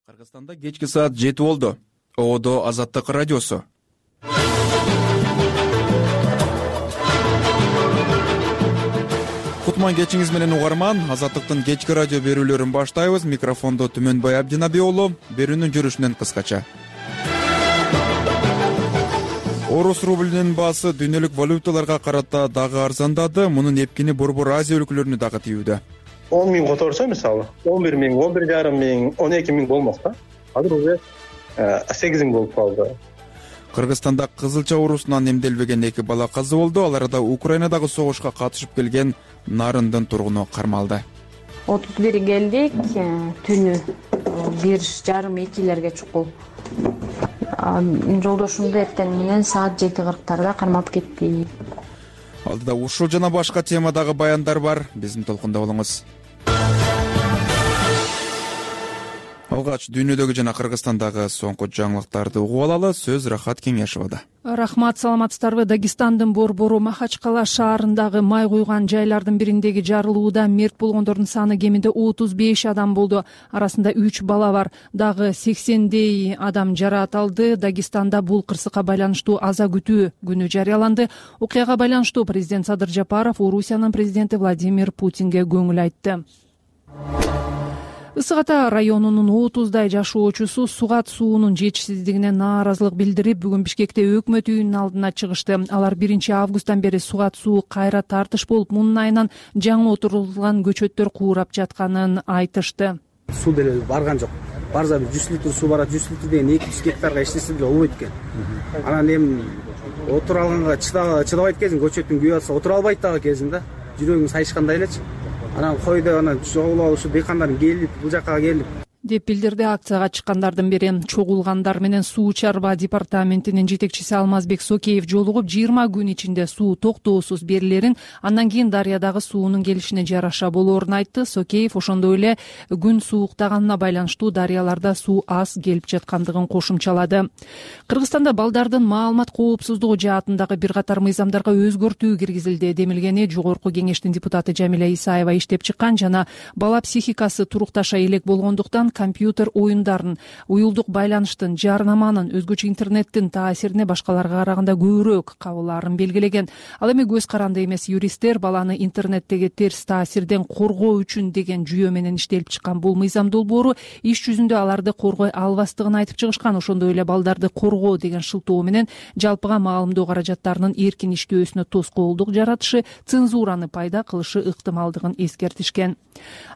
Кыргызстанда кечки саат 7 болду. ООД Азаттык радиосу. Кутман кечиңиз менен угарман. Азаттыктын кечки радио берүүлөрүн баштайбыз. Микрофондо Түмөнбай Абдинаби уулу. Берүүнүн жүрүшүнөн кыскача. Орус рублинин баасы дүйнөлүк валюталарга карата дагы арзандады. Мунун эпкини Борбор Азия өлкөлөрүнө дагы тийүүдө. 10 миң которсо, мисалы, 11 миң, 11,5 миң, 12 миң болмок да. Азыр уже 8 миң болуп калды. Кыргызстанда кызылча оорусунан эмделбеген 2 бала каза болду. Ал арада Украинадагы согушка катышып келген Нарындын тургуну кармалды. 31 келдик, түнү 1:30-2 чукул. Жолдошумду эртең менен саат 7:40 кармалып кетти. Алдыда ушул жана башка темадагы баяндар бар. Биздин толкунда болуңуз. Алгач дүйнөдөгү жана Кыргызстандагы соңку жаңылыктарды угуп алалы. Сөз Рахат Кеңешовада. Рахмат, саламатсыздарбы? Дагестандын Борбору Махачкала шаарындагы май куйган жайлардын бириндеги жарылууда мерт болгондордун саны кеминде 35 адам болду. Арасында 3 бала бар. Дагы 80дей адам жараат алды. Дагестанда бул кырсыкка байланыштуу аза күтүү күнү жарыяланды. Окуяга байланыштуу президент Садыр Жапаров Орусиянын президенти Владимир Путинге көңүл айтты. Ысык Ата районунун 30дай жашоочусу сугат суунун жетишсиздигине нааразылык билдирип, бүгүн Бишкекте өкмөт үйүнүн алдына чыгышты. Алар 1-августтан бери сугат суу кайра тартыш болуп, мунун айынан жаңы отурулган көчөттөр куурап жатканын айтышты. Суу деле барган жок. Барса 100 литр суу барат, 100 литр деген 200 гектарга иштесе деле болбойт экен. Анан эми отура алганга чыдабайт кезин, көчөттүн күйүп атса отура албайт дагы кезин да. Жүрөгүң сайышкандай элечи. Анан койду, анан чогулуп ушу дыйкандардын келип, бул жакка келип деп билдирди акцияга чыккандардын бири. Чогулгандар менен суу чарба департаментинин жетекчиси Алмазбек Сокеев жолугуп, 20 күн ичинде суу токтоосуз берилерин, андан кийин дарыядагы суунун келишине жараша болоорун айтты. Сокеев ошондой эле күн сууктаганына байланыштуу дарыяларда суу аз келип жаткандыгын кошумчалады. Кыргызстанда балдардын маалымат коопсуздугу жаатындагы бир катар мыйзамдарга өзгөртүү киргизилди. Демилгени Жогорку кеңештин депутаты Жамиля Исаева иштеп чыккан жана бала психикасы турукташа элек болгондуктан компьютер оюндарын, уюлдук байланыштын, жарнаманын, өзгөчө интернеттин таасирине башкаларга караганда көбүрөөк кабылаарын белгилеген. Ал эми көз каранды эмес юристтер баланы интернеттеги терс таасирден коргоо үчүн деген жүйө менен иштелип чыккан бул мыйзам долбоору иш жүзүндө аларды коргой албастыгын айтып чыгышкан. Ошондой эле балдарды коргоо деген шылтоо менен жалпыга маалымдоо каражаттарынын эркин иштөөсүнө тоскоолдук жаратышы, цензураны пайда кылышы ыктымалдыгын эскертишкен.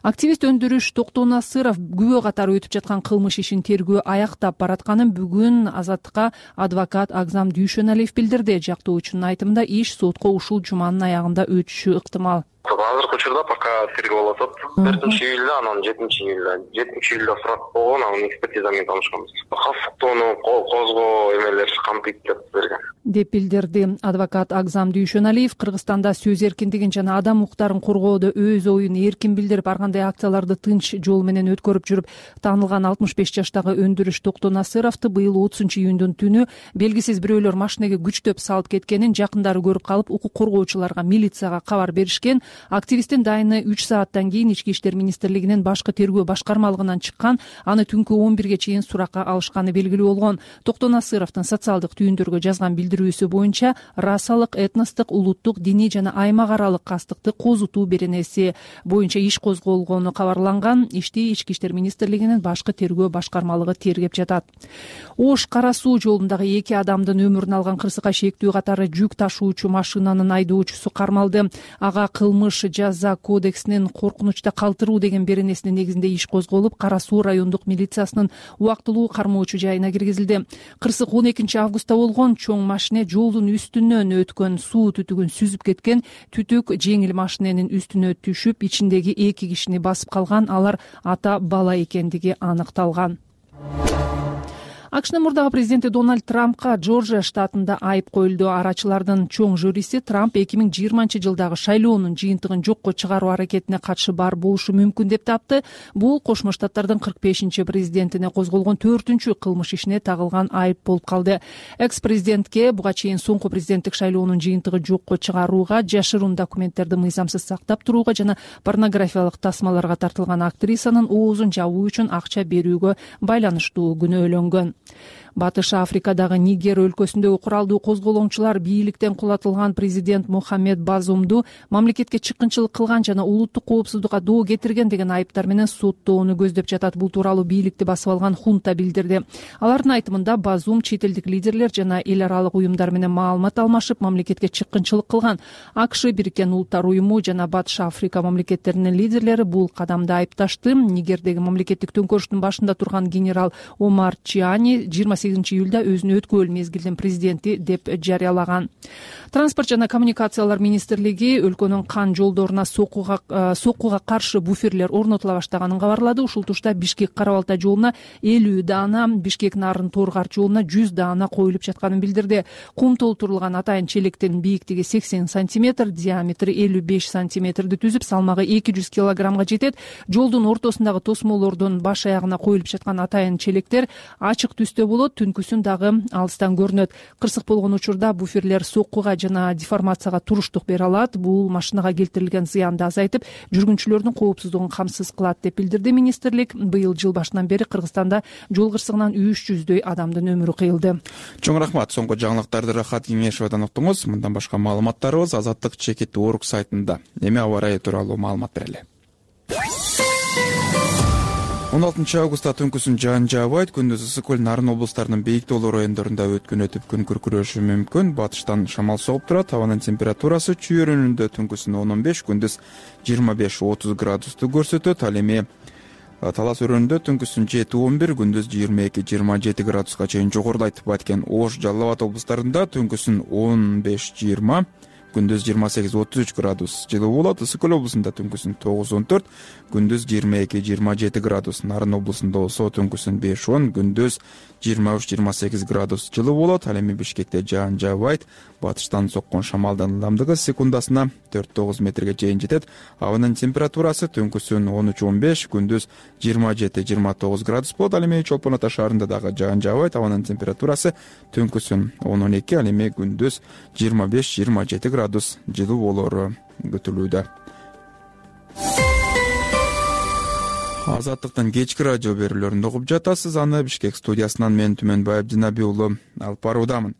Активист Өндүрүш Токтонасыров күбө катары өтүп жаткан кылмыш ишин тергөө аяктап баратканын бүгүн Азаттыкка адвокат Агзам Дүйшөналиев билдирди. Жактоочунун айтымында иш сотко ушул жуманын аягында өтүшү ыктымал. Азыркы учурда пока тергөө болуп атат. 1-июлда, анан 7-июлда сурак болгон, анын экспертиза менен таанышканбыз. Калсыктоону козгоо эмелер камтыйт деп берген. Деп билдирди адвокат Агзам Дүйшөналиев. Кыргызстанда сөз эркиндигин жана адам укуктарын коргоодо өз оюн эркин билдирип, ар кандай акцияларды тынч жол менен өткөрүп жүрүп таанылган 65 жаштагы Өндүрүш Токтонасыровду быйыл 30-июндун түнү белгисиз бирөөлөр машинеге күчтөп салып кеткенин жакындары көрүп калып, укук коргоочуларга, милицияга кабар беришкен. Активисттин дайыны 3 сааттан кийин Ички иштер министрлигинин башкы тергөө башкармалыгынан чыккан, аны түнкү 11ге чейин суракка алышканы белгилүү болгон. Токтонасыровдун социалдык түйүндөргө жазган билдирүүсү боюнча расалык, этностук, улуттук, диний жана аймак аралык кастыкты козутуу беренеси боюнча иш козголгону кабарланган. Ишти Ички иштер министрлигинин башкы тергөө башкармалыгы тергеп жатат. Ош Кара суу жолундагы 2 адамдын өмүрүн алган кырсыкка шектүү катары жүк ташуучу машинанын айдоочусу кармалды. Ага кылмыш жаза кодексинин коркунучта калтыруу деген беренесинин негизинде иш козголуп, Кара суу райондук милициясынын убактылуу кармоочу жайына киргизилди. Кырсык 12-августта болгон. Чоң машине жолдун үстүнөн өткөн суу түтүгүн сүзүп кеткен. Түтүк жеңил машиненин үстүнө түшүп, ичиндеги 2 кишини басып калган. Алар ата бала экендиги аныкталган. АКШнын мурдагы президенти Дональд Трампка Жоржия штатында айып коюлду. Арачылардын чоң жюриси Трамп 2020-жылдагы шайлоонун жыйынтыгын жокко чыгаруу аракетине катышы бар болушу мүмкүн деп тапты. Бул Кошмо Штаттардын 45-президентине козголгон 4-чү кылмыш ишине тагылган айып болуп калды. Экс-президентке буга чейин соңку президенттик шайлоонун жыйынтыгы жокко чыгарууга, жашыруун документтерди мыйзамсыз сактап турууга жана порнографиялык тасмаларга тартылган актрисанын оозун жабуу үчүн акча берүүгө байланыштуу күнөөлөнгөн. Батыш Африкадагы Нигер өлкөсүндөгү куралдуу козголоңчулар бийликтен кулатылган президент Мохаммед Базумду мамлекетке чыккынчылык кылган жана улуттук коопсуздукка доо кетирген деген айыптар менен соттоону көздөп жатат. Бул тууралуу бийликти басып алган хунта билдирди. Алардын айтымында Базум чет элдик лидерлер жана эл аралык уюмдар менен маалымат алмашып, мамлекетке чыккынчылык кылган. АКШ, Бириккен Улуттар уюму жана Батыш Африка мамлекеттеринин лидерлери бул кадамды айыпташты. Нигердеги мамлекеттик төңкөрүштүн башында турган генерал Омар Чиани 28-июлда өзүнү өткөрүл мезгилдин президенти деп жарыялаган. Транспорт жана коммуникациялар министрлиги өлкөнүн кан жолдоруна соккуга каршы буферлер орнотула баштаганын кабарлады. Ушул тушта Бишкек Кара-Балта жолуна 50 даана, Бишкек Нарын Торгар жолуна 100 даана коюлуп жатканын билдирди. Кум толтурулган атайын челектин бийиктиги 80 сантиметр, диаметри 55 сантиметрди түзүп, салмагы 200 килограммга жетет. Жолдун ортосундагы тосмолордун баш аягына коюлуп жаткан атайын челектер ачык түстө болот, түнкүсүн дагы алыстан көрүнөт. Кырсык болгон учурда буферлер соккуга жана деформацияга туруштук бере алат. Бул машинага келтирилген зыянды азайтып, жүргүнчүлөрдүн коопсуздугун камсыз кылат деп билдирди министрлик. Быйыл жыл башынан бери Кыргызстанда жол кырсыгынан 300дөй адамдын өмүрү кыйылды. Чоң рахмат. Соңку жаңылыктарды Рахат Кеңешовдон уктуңуз. Мындан башка маалыматтарыбыз Азаттык чекит орг сайтында. Эми аба ырайы тууралуу маалымат берели. 16 августта түнкүсүн жаан жаабайт. Күндүз ысык көл, Нарын облустарынын бейик тоолуу райондорунда өткүнөтүп күн күркүрөшү мүмкүн. Батыштан шамал соғып турат. Абанын температурасы чүйөрүнүндө түнкүсүн 10-15, күндүз 25-30 градусту көрсөтөт. Ал эми Талас өрөөнүндө түнкүсүн 7-11, күндүз 22-27 градуска чейин жогорулайт. Баткен, Ош, Жалал Абад облустарында түнкүсүн 15-20, күндүз 28-33 градус жылуу болот. Ысык көл облусунда түнкүсүн 9-14, күндүз 22-27 градус. Нарын облусунда болсо түнкүсүн 5-10, күндүз 23-28 градус жылуу болот. Ал эми Бишкекте жаан жаабайт. Батыштан соккон шамалдын ылдамдыгы секундасына 4-9 метрге чейин жетет. Абанын температурасы түнкүсүн 13-15, күндүз 27-29 градус болот. Ал эми Чолпон Ата шаарында дагы жаан жаабайт. Абанын температурасы түнкүсүн 10-12, ал эми күндүз 25-27 градус жылуу болору күтүлүүдө. Азаттыктын кечки радио берүүлөрүн угуп жатасыз. Аны Бишкек студиясынан мен Түмөнбаев Динаби уулу алып баруудамын.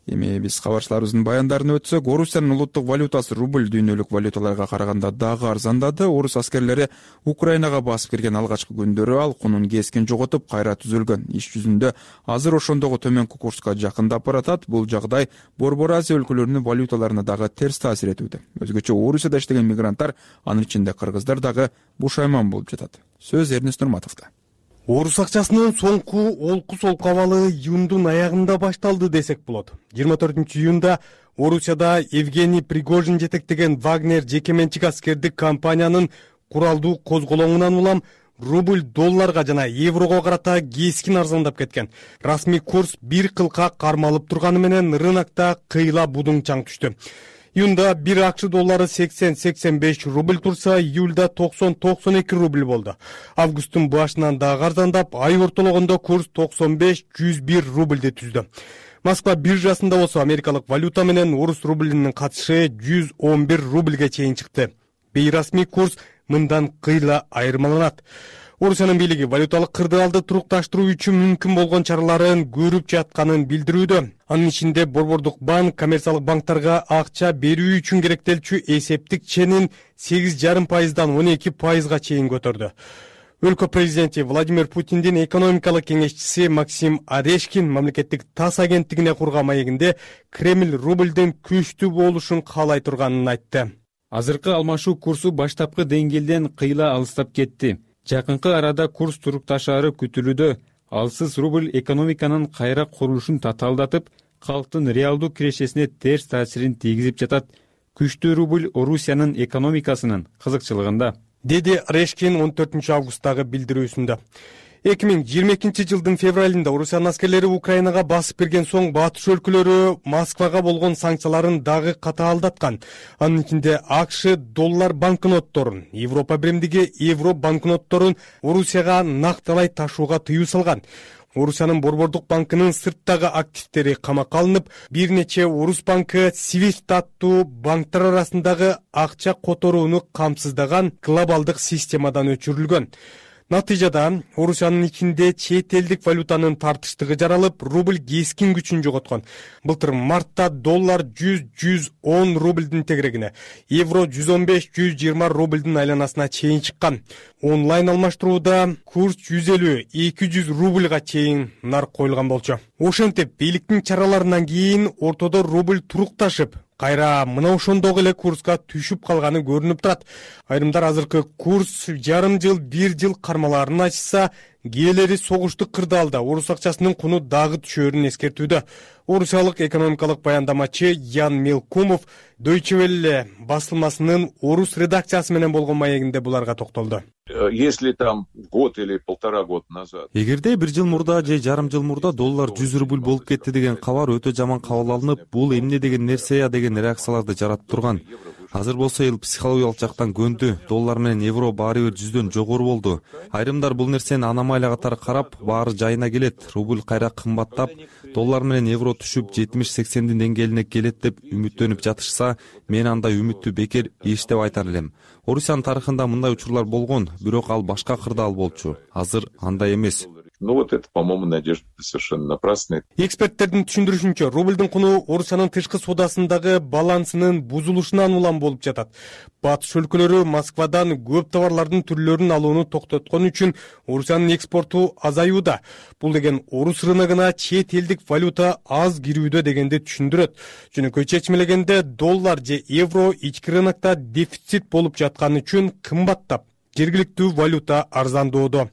Эми биз кабарчыларыбыздын баяндарын өтсөк, Орусиянын улуттук валютасы рубль дүйнөлүк валюталарга караганда дагы арзандады. Орус аскерлери Украинага басып кирген алгачкы күндөрү ал кунун кескин жоготуп, кайра түзөлгөн. Иш жүзүндө азыр ошондогу төмөнкү курска жакындап баратат. Бул жагдай Борбор Азия өлкөлөрүнүн валюталарына дагы терс таасир этүүдө. Өзгөчө Орусияда иштеген мигранттар, анын ичинде кыргыздар дагы бушайман болуп жатат. Сөз Эрнест Нурматовдо. Орус акчасынын соңку олку-солку абалы июндун аягында башталды десек болот. 24-июнда Орусияда Евгений Пригожин жетектеген Вагнер жекеменчик аскердик компаниянын куралдуу козголоңунан улам рубль долларга жана еврого карата кескин арзандап кеткен. Расмий курс бир кылка кармалып турганы менен рынокто кыйла будуң чаң түштү. Июнда 1 акш доллары 80-85 рубль турса, июльда 90-92 рубль болду. Августтун башынан дагы арзандап, ай ортологондо курс 95-101 рубльди түздү. Москва биржасында болсо америкалык валюта менен орус рублинин катышы 111 рубльге чейин чыкты. Бейрасмий курс мындан кыйла айырмаланат. Орусиянын бийлиги валюталык кырдаалды турукташтыруу үчүн мүмкүн болгон чараларын көрүп жатканын билдирүүдө. Анын ичинде Борбордук банк коммерциялык банктарга акча берүү үчүн керектелчү эсептик ченин 8,5%дан 12%га чейин көтөрдү. Өлкө президенти Владимир Путиндин экономикалык кеңешчиси Максим Орешкин мамлекеттик ТАСС агенттигине курган маегинде Кремль рубльдин күчтүү болушун каалай турганын айтты. Азыркы алмашуу курсу баштапкы деңгээлден кыйла алыстап кетти. Жакынкы арада курс турукташаары күтүлүүдө. Алсыз рубль экономиканын кайра курулушун татаалдатып, калктын реалдуу кирешесине терс таасирин тийгизип жатат. Күчтүү рубль Орусиянын экономикасынын кызыкчылыгында, деди Орешкин 14 августтагы билдирүүсүндө. 2022 февралында Орусиянын аскерлери Украинага басып кирген соң батыш өлкөлөрү Москвага болгон санкцияларын дагы катаалдаткан. Анын ичинде АКШ доллар банкнотторун, Европа биримдиги евро банкнотторун Орусияга накталай ташууга тыюу салган. Орусиянын Борбордук банкынын сырттагы активдери камакка алынып, бир нече Орус банкы SWIFT аттуу банктар арасындагы акча которууну камсыздаган глобалдык системадан өчүрүлгөн. Натыйжада Орусиянын ичинде чет элдик валютанын тартыштыгы жаралып, рубль кескин күчүн жоготкон. Былтыр мартта доллар 100-110 рубльдин тегерегине, евро 115-120 рубльдин айланасына чейин чыккан. Онлайн алмаштырууда курс 150-200 рубльга чейин нарк коюлган болчу. Ошентип, бийликтин чараларынан кийин ортодо рубль турукташып, кайра мына ошондогу эле курска түшүп калганы көрүнүп турат. Айрымдар азыркы курс жарым жыл, бир жыл кармаларын ачса, кээleri согуштук кырдаалда орус акчасынын куну дагы түшөөрүн эскертүүдө. Орусиялык экономикалык баяндамачы Ян Мелкумов Deutsche Welle басылмасынын орус редакциясы менен болгон маегинде буларга токтолду. Если там год или полтора года назад. Эгерде бир жыл мурда же жарым жыл мурда доллар 100 рубль болуп кетти деген кабар өтө жаман кабыл алынып, бул эмне деген нерсе я деген реакцияларды жаратып турган. Азыр болсо эл психологиялык жактан көндү. Доллар менен евро баары бир 100дөн жогору болду. Айрымдар бул нерсени аномалия катары карап, баары жайына келет. Рубль кайра кымбаттап, доллар менен евро түшүп 70-80дин деңгээлине келет деп үмүттөнүп жатышса, мен андай үмүттү бекер иш деп айтар элем. Орусиянын тарыхында мындай учурлар болгон, бирок ал башка кырдаал болчу. Азыр андай эмес. Ну вот это, по-моему, надежда совершенно напрасная. Эксперттердин түшүндүрүшүнчө, рубльдин куну Орусиянын тышкы соодасындагы балансынын бузулушунан улам болуп жатат. Батыш өлкөлөрү Москвадан көп товарлардын түрлөрүн алууну токтоткон үчүн Орусиянын экспорту азаюуда. Бул деген орус рыногуна чет элдик валюта аз кирүүдө дегенди түшүндүрөт. Жөнөкөй чечмелегенде доллар же евро ички рынокто дефицит болуп жатканы үчүн кымбаттап, жергиликтүү валюта арзандоодо.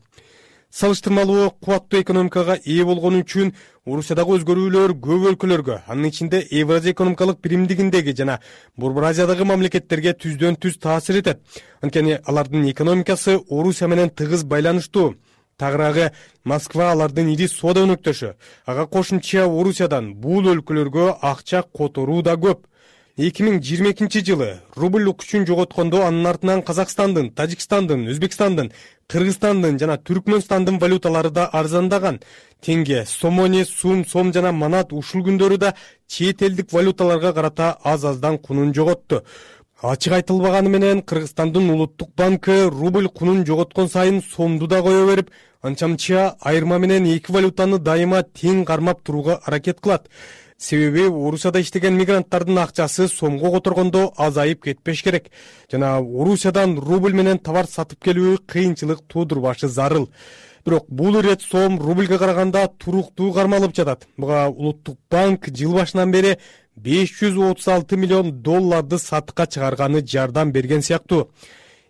Салыштырмалуу кубаттуу экономикага ээ болгону үчүн Орусиядагы өзгөрүүлөр көп өлкөлөргө, анын ичинде Евразия экономикалык биримдигиндеги жана Борбор Азиядагы мамлекеттерге түздөн түз таасир этет. Анткени алардын экономикасы Орусия менен тыгыз байланыштуу. Тагыраагы Москва алардын ири соода өнөктөшү. Ага кошумча Орусиядан бул өлкөлөргө акча которуу да көп. 2022 жылы рубль күчүн жоготкондо анын артынан Казакстандын, Тажикстандын, Өзбекстандын, Кыргызстандын жана Түркмөнстандын валюталары да арзандаган. Тенге, сомони, сом жана манат ушул күндөрү да чет элдик валюталарга карата аз-аздан кунун жоготту. Ачык айтылбаганы менен Кыргызстандын улуттук банкы рубль кунун жоготкон сайын сомду да кое берип, анча-мынча айырма менен эки валютаны дайыма тең кармап турууга аракет кылат. Себеби Орусияда иштеген мигранттардын акчасы сомго которгондо азайып кетпеш керек. Жана Орусиядан рубль менен товар сатып келүү кыйынчылык туудурбашы зарыл. Бирок бул ирет сом рубльге караганда туруктуу кармалып жатат. Буга улуттук банк жыл башынан бери 536 миллион долларды сатыкка чыгарганы жардам берген сыяктуу.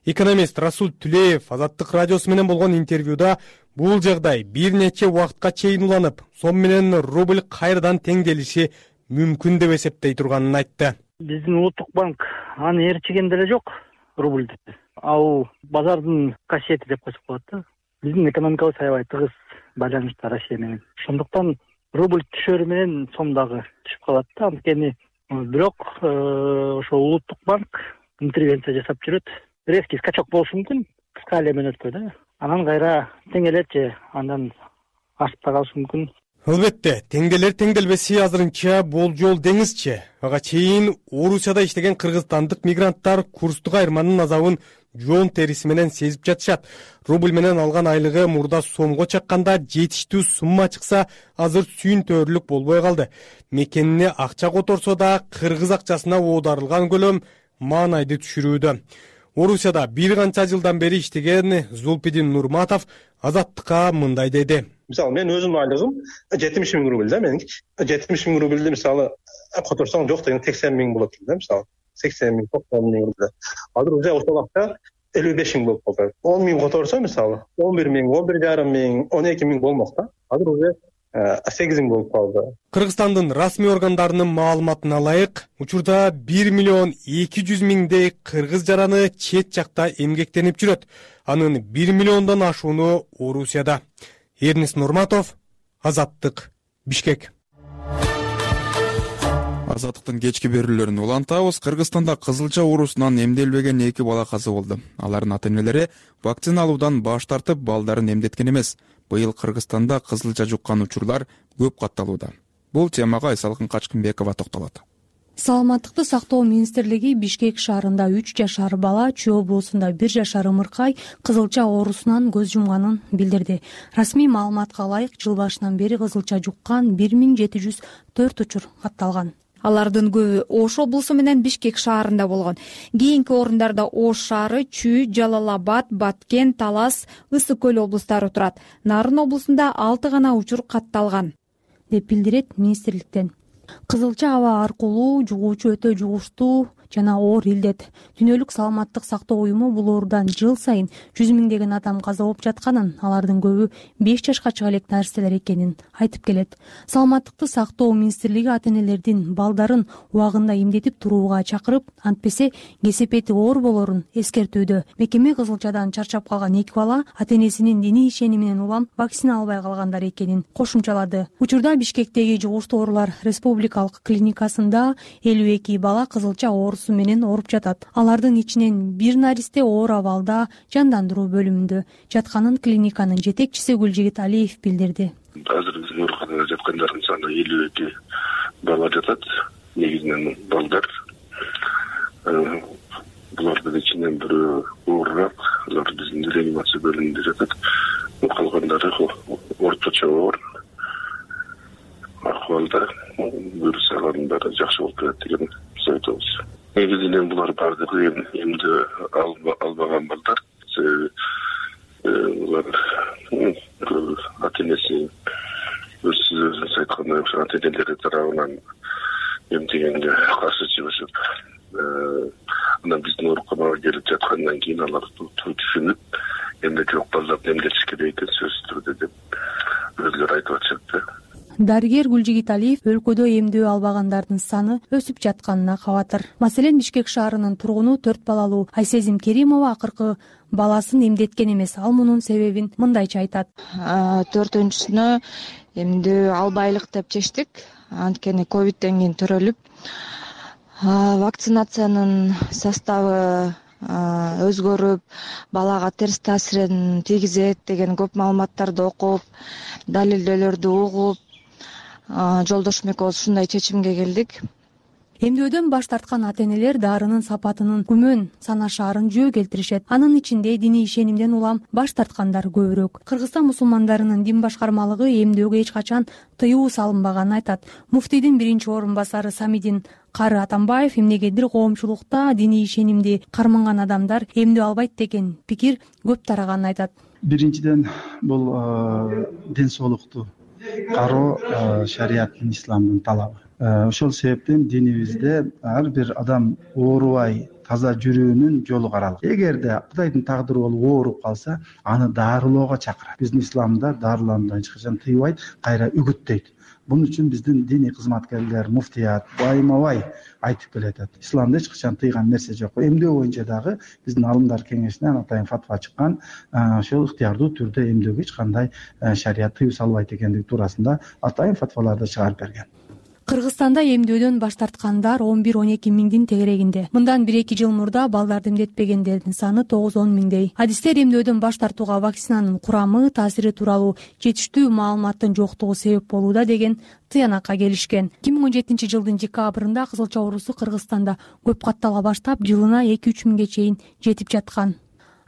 Экономист Расул Түлеев Азаттык радиосу менен болгон интервьюда бул жагдай бир нече убакытка чейин уланып, сом менен рубль кайрадан теңделиши мүмкүн деп эсептей турганын айтты. Биздин улуттук банк аны ээрчиген деле жок рубльди. Ал базардын касиети деп койсок болот да. Биздин экономикабыз аябай тыгыз байланышта Россия менен. Ошондуктан рубль түшөрү менен сом дагы түшүп калат да. Анткени бирок ошо улуттук банк интервенция жасап жүрөт. Резкий скачок болушу мүмкүн, кыска эле мөөнөткө да. Анан кайра теңелет же андан ашып да калышы мүмкүн. Албетте, теңделер теңделбеси азырынча болжол деңизчи. Ага чейин Орусияда иштеген кыргызстандык мигранттар курстук айырманын азабын жоон териси менен сезип жатышат. Рубль менен алган айлыгы мурда сомго чакканда жетиштүү сумма чыкса, азыр сүйүнтөрлүк болбой калды. Мекенине акча которсо да кыргыз акчасына оодарылган көлөм маанайды түшүрүүдө. Орусияда бир канча жылдан бери иштеген Зулпидин Нурматов Азаттыкка мындай деди. Мисалы, мен өзүмдүн айлыгым 70 миң рубль да меники. 70 миң рубльди мисалы которсоң жок деген 80 миң болот да мисалы. 80 миң, 90 миң рубль. Азыр уже ошол акча 55 миң болуп калды. 10 миң которсо мисалы 11 миң, 11,5 миң, 12 миң болмок да. Азыр уже 8 болуп калды. Кыргызстандын расмий органдарынын маалыматына ылайык, учурда 1 миллион 200 миңдей кыргыз жараны чет жакта эмгектенип жүрөт. Анын 1 миллиондон ашууну Орусияда. Эрнис Нурматов, Азаттык, Бишкек. Азаттыктын кечки берүүлөрүн улантабыз. Кыргызстанда кызылча оорусунан эмделбеген 2 бала каза болду. Алардын ата-энелери вакцина алуудан баш тартып, балдарын эмдеткен эмес. Быйыл Кыргызстанда кызылча жуккан учурлар көп катталууда. Бул темага Айсалкын Качкынбекова токтолот. Саламаттыкты сактоо министрлиги Бишкек шаарында 3 жашар бала, Чүй облусунда 1 жашар ымыркай кызылча оорусунан көз жумганын билдирди. Расмий маалыматка ылайык, жыл башынан бери кызылча жуккан 1704 учур катталган. Алардын көбү Ош облусу менен Бишкек шаарында болгон. Кийинки орундарда Ош шаары, Чүй, Жалал-Абад, Баткен, Талас, Ысык көл облустары турат. Нарын облусунда 6 гана учур катталган, деп билдирет министрликтен. Кызылча аба аркылуу жугуучу өтө жугуштуу жана оор илдет. Дүйнөлүк саламаттык сактоо уюму бул оорудан жыл сайын 100 миңдеген адам каза болуп жатканын, алардын көбү 5 жашка чыга элек нарселер экенин айтып келет. Саламаттыкты сактоо министрлиги ата-энелердин балдарын убагында эмдетип турууга чакырып, антпесе кесепети оор болорун эскертүүдө. Мекеме кызылчадан чарчап калган 2 бала ата-энесинин диний ишениминен улам вакцина албай калгандар экенин кошумчалады. Учурда Бишкектеги жугуштуу оорулар республикалык клиникасында 52 бала кызылча оорусу менен ооруп жатат. Алардын ичинен 1 наристе оор абалда жандандыруу бөлүмүндө жатканын клиниканын жетекчиси Гүлжигит Алиев билдирди. Азыр биздин ооруканада жаткандардын саны 52 бала жатат. Негизинен балдар. Булардын ичинен бирөө оорураак, алар биздин реанимация бөлүмүндө жатат. Калгандары орточо оор акыбалда, вирус алгандары жакшы болуп келет деген айтабыз. Негизинен булар баардыгы эмди албаган балдар. Булар ата-энеси өзүнүз айткандай ата-энелери тарабынан эмдегенге каршы чыгышып, анан биздин ооруканага келип жаткандан кийин алар түшүнүп, эмне жок балдарды эмдетиш керек экен сөзсүз түрдө деп өзүлөрү айтып атышат. Дарыгер Гүлжигит Алиев өлкөдө эмдөө албагандардын саны өсүп жатканына кабатыр. Маселен, Бишкек шаарынын тургуну 4 балалуу Айсезим Керимова акыркы баласын эмдеткен эмес. Ал мунун себебин мындайча айтат. 4-сүнө эмдөө албайлык деп чечтик. Анткени ковидтен кийин төрөлүп, вакцинациянын составы өзгөрүп, балага терс таасирин тийгизет деген көп маалыматтарды окуп, далилдөөлөрдү угуп, жолдошум экөөбүз ушундай чечимге келдик. Эмдөөдөн баш тарткан ата-энелер дарынын сапатынын күмөн санашаарын жөө келтиришет. Анын ичинде диний ишенимден улам баш тарткандар көбүрөөк. Кыргызстан мусулмандарынын дин башкармалыгы эмдөөгө эч качан тыюу салынбаганын айтат. Муфтийдин 1-орун-басары Самидин Кары Атамбаев эмнегедир коомчулукта диний ишенимди карманган адамдар эмдөө албайт деген пикир көп тараганын айтат. Биринчиден бул ден соолукту кароо шариаттын, исламдын талабы. Ошол себептен динибизде ар бир адам оорубай таза жүрүүнүн жолу каралган. Эгерде Кудайдын тагдыры болуп ооруп калса, аны дарылоого чакырат. Биздин исламда дарылануудан эч качан тыйбайт, кайра үгүттөйт. Бунун үчүн биздин диний кызматкерлер, муфтият байма-бай айтып келатат. Исламда эч качан тыйган нерсе жок. Эмдөө боюнча дагы биздин алымдар кеңешинен атайын фатва чыккан, ошол ыктыярдуу түрдө эмдөөгө эч кандай шарият тыюу салбайт экендиги туурасында атайын фатваларды чыгарып берген. Кыргызстанда эмдөөдөн баш тарткандар 11-12 миңдин тегерегинде. Мындан 1-2 жыл мурда балдарды эмдетпегендердин саны 9-10 миңдей. Адистер эмдөөдөн баш тартууга вакцинанын курамы, таасири тууралуу жетиштүү маалыматтын жоктугу себеп болууда деген тыянакка келишкен. 2017 жылдын декабрында кызылча оорусу Кыргызстанда көп каттала баштап, жылына 2-3 миңге чейин жетип жаткан.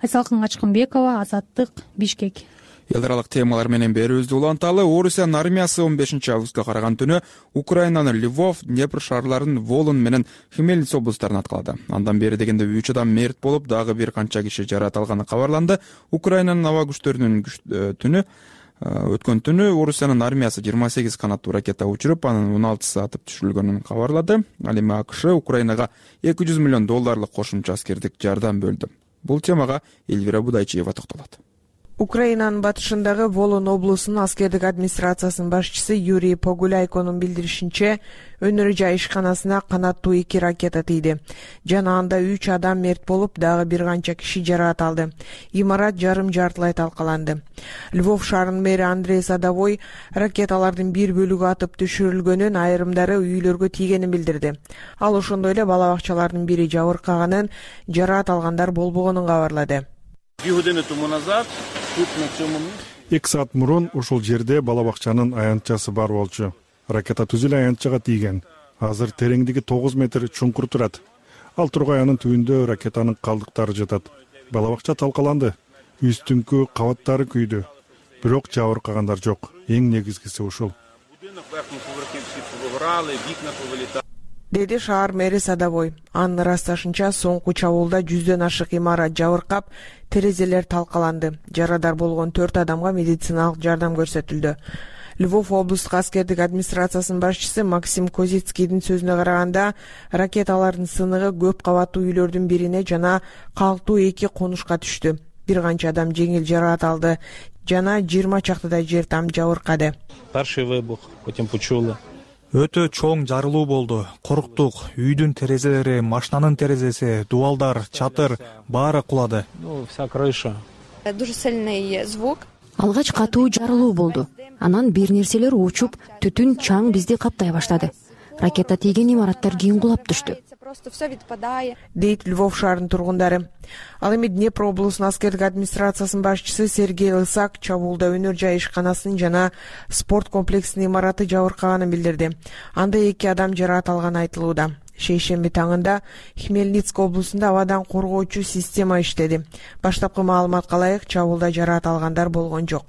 Айсалкын Качкынбекова, Азаттык, Бишкек. Эл аралык темалар менен берүүбүздү уланталы. Орусиянын армиясы 15 августка караган түнү Украинанын Львов, Днепр шаарларын Волын менен Хмельниц облустарын аткалады. Андан бери дегенде 3 адам мерт болуп, дагы бир канча киши жаракат алганы кабарланды. Украинанын аба күчтөрүнүн өткөн түнү Орусиянын армиясы 28 канаттуу ракета учуруп, анын 16 атып түшүрүлгөнүн кабарлады. Ал эми АКШ Украинага $200 миллион кошумча аскердик жардам бөлдү. Бул темага Эльвира Будайчиева токтолот. Украинанын батышындагы Волын облусунун аскердик администрациясынын башчысы Юрий Погуляйконун билдиришинче, өнөр жай ишканасына канаттуу 2 ракета тийди. Жана анда 3 адам мерт болуп, дагы бир канча киши жаракат алды. Имарат жарым-жартылай талкаланды. Львов шаарынын мэри Андрей Садовой ракеталардын бир бөлүгү атып түшүрүлгөнүн, айрымдары үйлөргө тийгенин билдирди. Ал ошондой эле бала бакчалардын бири жабыркаганын, жаракат алгандар болбогонун кабарлады. 2 саат мурун ушул жерде бала бакчанын аянтчасы бар болчу. Ракета түз эле аянтчага тийген. Азыр тереңдиги 9 метр чуңкур турат. Ал тургаянын түбүндө ракетанын калдыктары жатат. Бала бакча талкаланды. Үстүңкү кабаттары күйдү. Бирок жабыркагандар жок. Эң негизгиси ушул. Деди шаар мэри Садовой. Анын ырасташынча, соңку чабуулда 100дөн ашык имарат жабыркап, терезелер талкаланды. Жарадар болгон 4 адамга медициналык жардам көрсөтүлдү. Львов облустук аскердик администрациясынын башчысы Максим Козицкийдин сөзүнө караганда, ракеталардын сыныгы көп кабаттуу үйлөрдүн бирине жана калктуу 2 конушка түштү. Бир канча адам жеңил жаракат алды жана 20 чактыдай жер там жабыркады. Өтө чоң жарылуу болду. Коруктук. Үйдүн терезелери, машинанын терезеси, дубалдар, чатыр баары кулады. Алгач катуу жарылуу болду. Анан бир нерселер учуп, түтүн чаң бизди каптай баштады. Ракета тийген имараттар кийин кулап түштү. Дейт Львов шаарынын тургундары. Ал эми Днепр облусунун аскердик администрациясынын башчысы Сергей Лысак чабуулда өнөр жай ишканасынын жана спорт комплексинин имараты жабыркаганын билдирди. Анда 2 адам жаракат алганы айтылууда. Шейшемби таңында Хмельницк облусунда абадан коргоочу система иштеди. Баштапкы маалыматка ылайык, чабуулда жаракат алгандар болгон жок.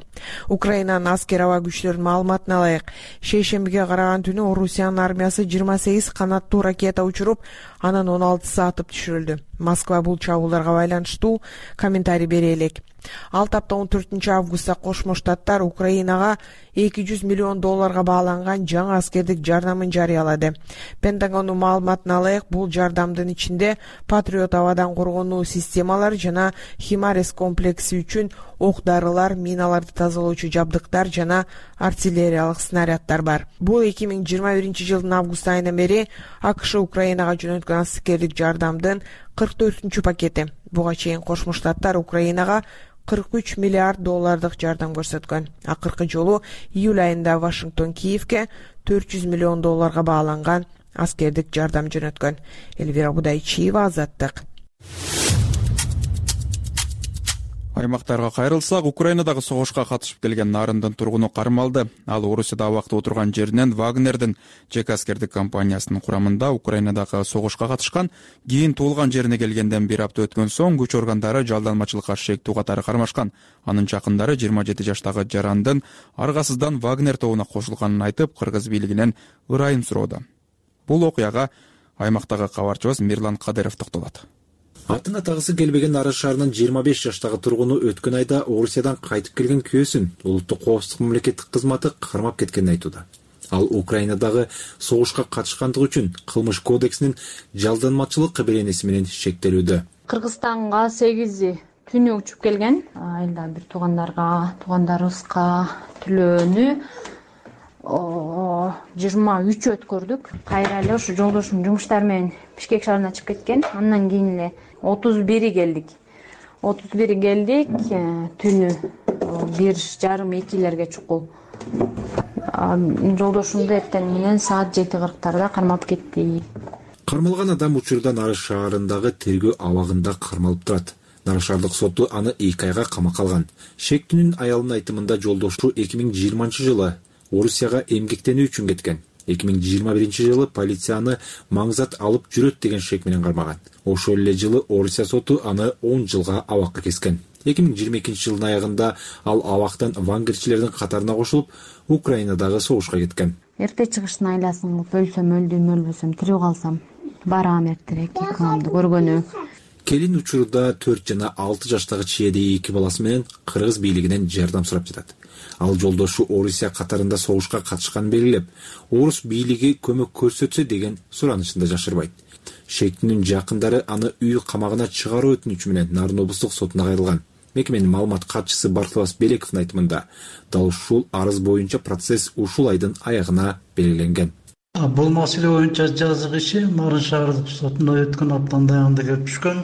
Украинанын аскер аба күчлөрүнүн маалыматына ылайык, шейшембиге караган түнү Орусиянын армиясы 28 канаттуу ракета учуруп, анын 16сы атып түшүрүлдү. Москва бул чабуулдарга байланыштуу комментарий бере элек. Ал тапта 14 августта Кошмо Штаттар Украинага $200 миллион бааланган жаңы аскердик жардамын жарыялады. Пентагондун маалыматына ылайык, бул жардамдын ичинде Патриот абадан коргонуу системалары жана Химарес комплекси үчүн ок-дарылар, миналарды тазалоочу жабдыктар жана артиллериялык снаряддар бар. Бул 2021-жылдын август айынан бери АКШ Украинага жөнөткөн аскердик жардамдын 44-чү пакети. Буга чейин Кошмо Штаттар Украинага $43 миллиард жардам көрсөткөн. Акыркы жолу июль айында Вашингтон Киевке $400 миллион бааланган аскердик жардам жөнөткөн. Элвира Будайчиева, Азаттык. Аймактарга кайрылсак, Украинадагы согушка катышып келген Нарындын тургуну кармалды. Ал Орусияда абакта отурган жеринен Вагнердин жеке аскердик компаниясынын курамында Украинадагы согушка катышкан, кийин туулган жерине келгенден бир апта өткөн соң күч органдары жалданмачылыкка шектүү катары кармашкан. Анын жакындары 27 жаштагы жарандын аргасыздан Вагнер тобуна кошулганын айтып, кыргыз бийлигинен ырайым суроодо. Бул окуяга аймактагы кабарчыбыз Мирлан Кадыров токтолот. Атын атагысы келбеген Арыс шаарынын 25 жаштагы тургуну өткөн айда Орусиядан кайтып келген күйөөсүн улуттук коопсуздук мамлекеттик кызматы кармап кеткенин айтууда. Ал Украинадагы согушка катышкандыгы үчүн кылмыш кодексинин жалданмачылык беренеси менен шектелүүдө. Кыргызстанга 8 түнү учуп келген. Айылда бир туугандарыбызга түлөөнү 23 өткөрдүк. Кайра эле ушу жолдошум жумуштар менен Бишкек шаарына чыгып кеткен. Андан кийин эле 31 келдик. Түнү 1:30-2 чукул. Жолдошумду эртең менен саат 7:40 кармап кетти. Кармалган адам учурда Нарыс шаарындагы тергөө абагында кармалып турат. Нарыс шаардык соту аны 2 айга камакка алган. Шектүүнүн аялынын айтымында жолдошу 2020-жылы Орусияга эмгектенүү үчүн кеткен. 2021-жылы полицияны маңзат алып жүрөт деген шек менен кармаган. Ошол эле жылы Орусия соту аны 10 жылга абакка кескен. 2022-жылдын аягында ал абактан вангерчилердин катарына кошулуп, Украинадагы согушка кеткен. Эрте чыгыштын айласын кылып өлсөм өлдүм, өлбөсөм тирүү калсам барам эртерээк экөөмдү көргөнү. Келин учурда 4 жана 6 жаштагы чиеди 2 баласы менен кыргыз бийлигинен жардам сурап жатат. Ал жолдошу Орусия катарында согушка катышканын белгилеп, орус бийлиги көмөк көрсөтсө деген суранышында жашырбайт. Шектүүнүн жакындары аны үй камагына чыгаруу өтүнүчү менен Нарын облустук сотуна кайрылган. Мекеменин маалымат катчысы Бартылас Белековдун айтымында дал ушул арыз боюнча процесс ушул айдын аягына белгиленген. Бул маселе боюнча жазык иши Нарын шаардык сотуна өткөн аптанын аягында келип түшкөн.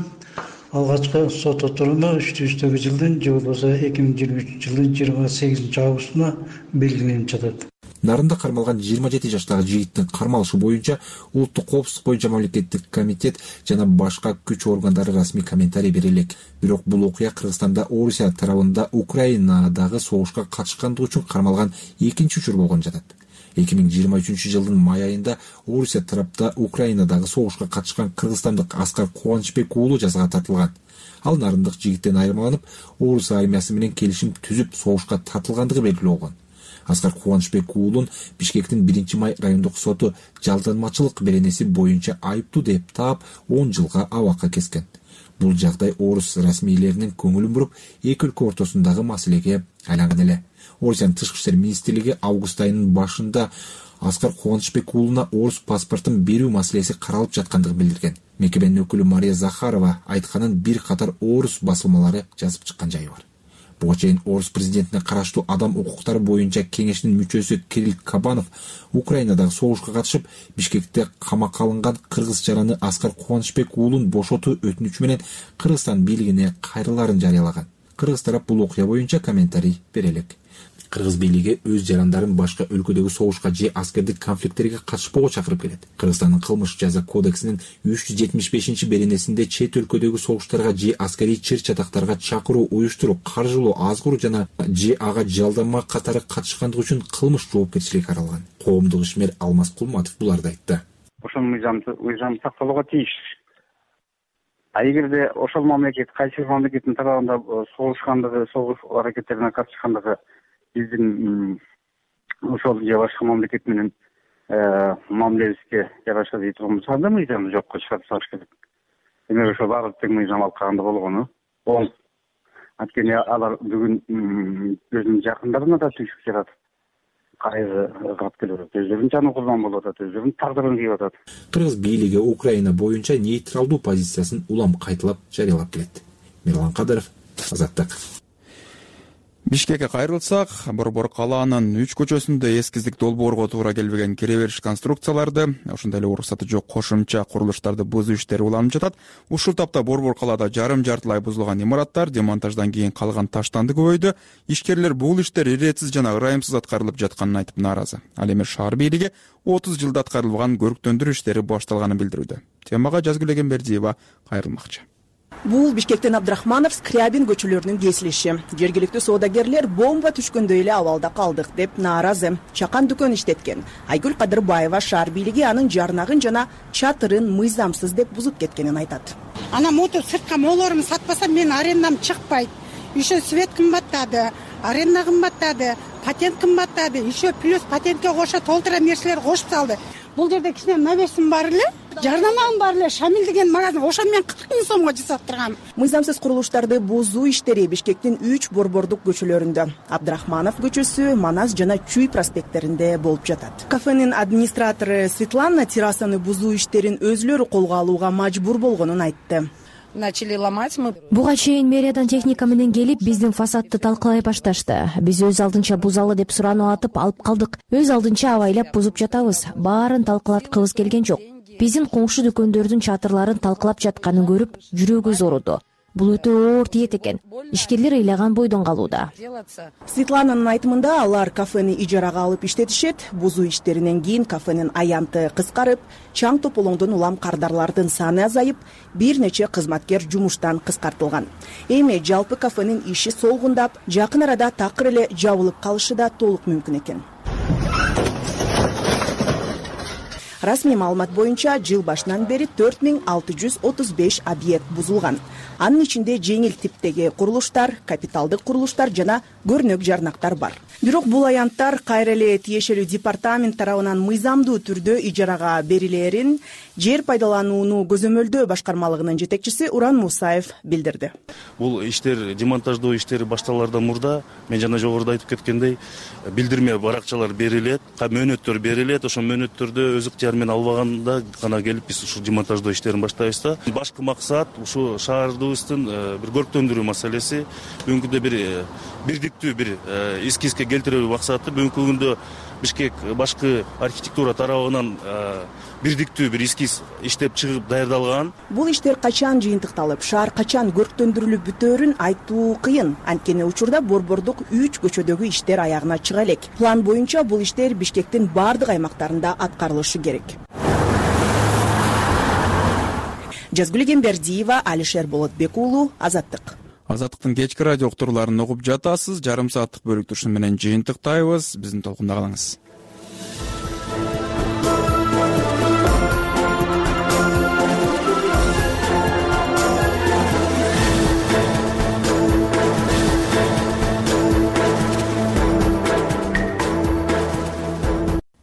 Алгачкы сот отуруму 3-4 жылдын же болбосо 2023 жылдын 28 августуна белгиленип жатат. Нарында кармалган 27 жаштагы жигиттин кармалышы боюнча улуттук коопсуздук боюнча мамлекеттик комитет жана башка күч органдары расмий комментарий бере элек. Бирок бул окуя Кыргызстанда Орусия тарабында Украинадагы согушка катышкандыгы үчүн кармалган экинчи учур болгон жатат. 2023 жылдын май айында Орусия тарапта Украинадагы согушка катышкан кыргызстандык Аскар Кубанычбек уулу жазага тартылган. Ал нарындык жигиттен айырмаланып, Орус армиясы менен келишим түзүп согушка тартылгандыгы белгилүү болгон. Аскар Кубанычбек уулун Бишкектин 1-май райондук соту жалданмачылык беренеси боюнча айыптуу деп таап 10 жылга абакка kesкен. Бул жагдай орус расмийлеринин көңүлүн буруп, эки өлкө ортосундагы маселеге айланган эле. Орусиянын тышкы иштер министрлиги август айынын башында Аскар Кубанычбек уулуна орус паспортун берүү маселеси каралып жаткандыгын билдирген. Мекеменин өкүлү Мария Захарова айтканын бир катар орус басылмалары жазып чыккан жайы бар. Буга чейин орус президентине караштуу адам укуктары боюнча кеңештин мүчөсү Кирилл Кабанов Украинадагы согушка катышып, Бишкекте камакка алынган кыргыз жараны Аскар Кубанычбек уулун бошотуу өтүнүчү менен Кыргызстан бийлигине кайрылаарын жарыялаган. Кыргыз тарап бул окуя боюнча комментарий бере элек. Кыргыз бийлиги өз жарандарын башка өлкөдөгү согушка же аскердик конфликттерге катышпоого чакырып келет. Кыргызстандын кылмыш жаза кодексинин 375-беренесинде чет өлкөдөгү согуштарга же аскерий чыр-чатактарга чакыруу, уюштуруу, каржылоо, азгыруу жана же ага жалданма катары катышкандыгы үчүн кылмыш жоопкерчилиги каралган. Коомдук ишмер Алмаз Кулматов буларды айтты. Ошол мыйзам сакталууга тийиш. А эгерде ошол мамлекет кайсы мамлекеттин тарабында согушкандыгы, согуш аракеттерине катышкандыгы биздин ошол же башка мамлекет менен мамилебизге жараша дей турган болсо, анда мыйзамды жокко чыгарып салыш керек. Демек ошол баары тең мыйзам алып калганда болгону оң. Анткени алар бүгүн өзүнүн жакындарына да түйшүк жаратып, кайгы кылып келип атат, өздөрүнүн жаны курбан болуп атат, өздөрүнүн тагдырын кийип атат. Кыргыз бийлиги Украина боюнча нейтралдуу позициясын улам кайталап жарыялап келет. Мирлан Кадыров, Азаттык. Бишкекке кайрылсак, Борбор калаанын 3 көчөсүндө эскиздик долбоорго туура келбеген кире бериш конструкцияларды, ошондой эле уруксаты жок кошумча курулуштарды бузуу иштери уланып жатат. Ушул тапта Борбор калаада жарым-жартылай бузулган имараттар демонтаждан кийин калган таштанды көбөйдү. Ишкерлер бул иштер иретсиз жана ырайымсыз аткарылып жатканын айтып нааразы. Ал эми шаар бийлиги 30 жылда аткарылган көрктөндүрүү иштери башталганын билдирүүдө. Темага Жазгүл Эгембердиева кайрылмакчы. Бул Бишкектен Абдрахманов, Скрябин көчөлөрүнүн кесилиши. Жергиликтүү соодагерлер бомба түшкөндөй эле абалда калдык деп нааразы. Чакан дүкөн иштеткен Айгүл Кадырбаева шаар бийлиги анын жарнагын жана чатырын мыйзамсыз деп бузуп кеткенин айтат. Ана мотор сыртка молорун сатпасам мен арендам чыкпайт. Еще свет кымбаттады, аренда кымбаттады, патент кымбаттады, еще плюс патентке кошо толтура нерселер кошуп салды. Бул жерде кичине навесим бар эле, жарнамам бар эле, Шамил деген магазин, ошо мен 40 000 сомго жасап тургам. Мыйзамсыз курулуштарды бузуу иштери Бишкектин 3 борбордук көчөлөрүндө, Абдрахманов көчөсү, Манас жана Чүй проспекттеринде болуп жатат. Кафенин администратору Светлана террасаны бузуу иштерин өзүлөрү колго алууга мажбур болгонун айтты. Начали ломать мы. Буга чейин мэриядан техника менен келип биздин фасадты талкалай башташты. Биз өз алдынча бузалы деп сурануу атып алып калдык. Өз алдынча абайлап бузуп жатабыз. Баарын талкалаткыбыз келген жок. Биздин коңшу дүкөндөрдүн чатырларын талкалап жатканын көрүп, жүрөгүбүз ооруду. Бул өтө оор тиет экен. Ишкерлер ыйлаган бойдон калууда. Светлананын айтымында алар кафени ижарага алып иштетишет. Бузуу иштеринен кийин кафенин аянты кыскарып, чаң тополоңдон улам кардарлардын саны азайып, бир нече кызматкер жумуштан кыскартылган. Эми жалпы кафенин иши солгундап, жакын арада такыр эле жабылып калышы да толук мүмкүн экен. Расмий маалымат боюнча жыл башынан бери 4635 объект бузулган. Анын ичинде жеңил типтеги курулуштар, капиталдык курулуштар жана көрнөк жарнактар бар. Бирок бул аянттар кайра эле тиешелүү департамент тарабынан мыйзамдуу түрдө ижарага берилээрин жер пайдаланууну көзөмөлдөө башкармалыгынын жетекчиси Уран Мусаев билдирди. Бул иштер, демонтаждоо иштери башталаардан мурда мен жана жогоруда айтып кеткендей, билдирме баракчалар берилет, мөөнөттөр берилет, ошол мөөнөттөрдө өз ыктыяры термин албаганда гана келип биз ушул демонтаждоо иштерин баштайбыз да. Башкы максат ушу шаарыбыздын бир көрктөндүрүү маселеси. Бүгүнкү күндө бир бирдиктүү бир эскизге келтирүү максаты. Бүгүнкү күндө Бишкек башкы архитектура тарабынан бирдиктүү бир эскиз иштеп чыгып даярдалган. Бул иштер качан жыйынтыкталып, шаар качан көрктөндүрүлүп бүтөөрүн айтуу кыйын. Анткени учурда борбордук 3 көчөдөгү иштер аягына чыга элек. План боюнча бул иштер Бишкектин бардык аймактарында аткарылышы керек. Жазгүл Кембердиева, Алишер Болотбек уулу, Азаттык. Азаттыктын кечки радио уктурууларын угуп жатасыз. Жарым сааттык бөлүктү ушун менен жыйынтыктайбыз. Биздин толкунда калыңыз.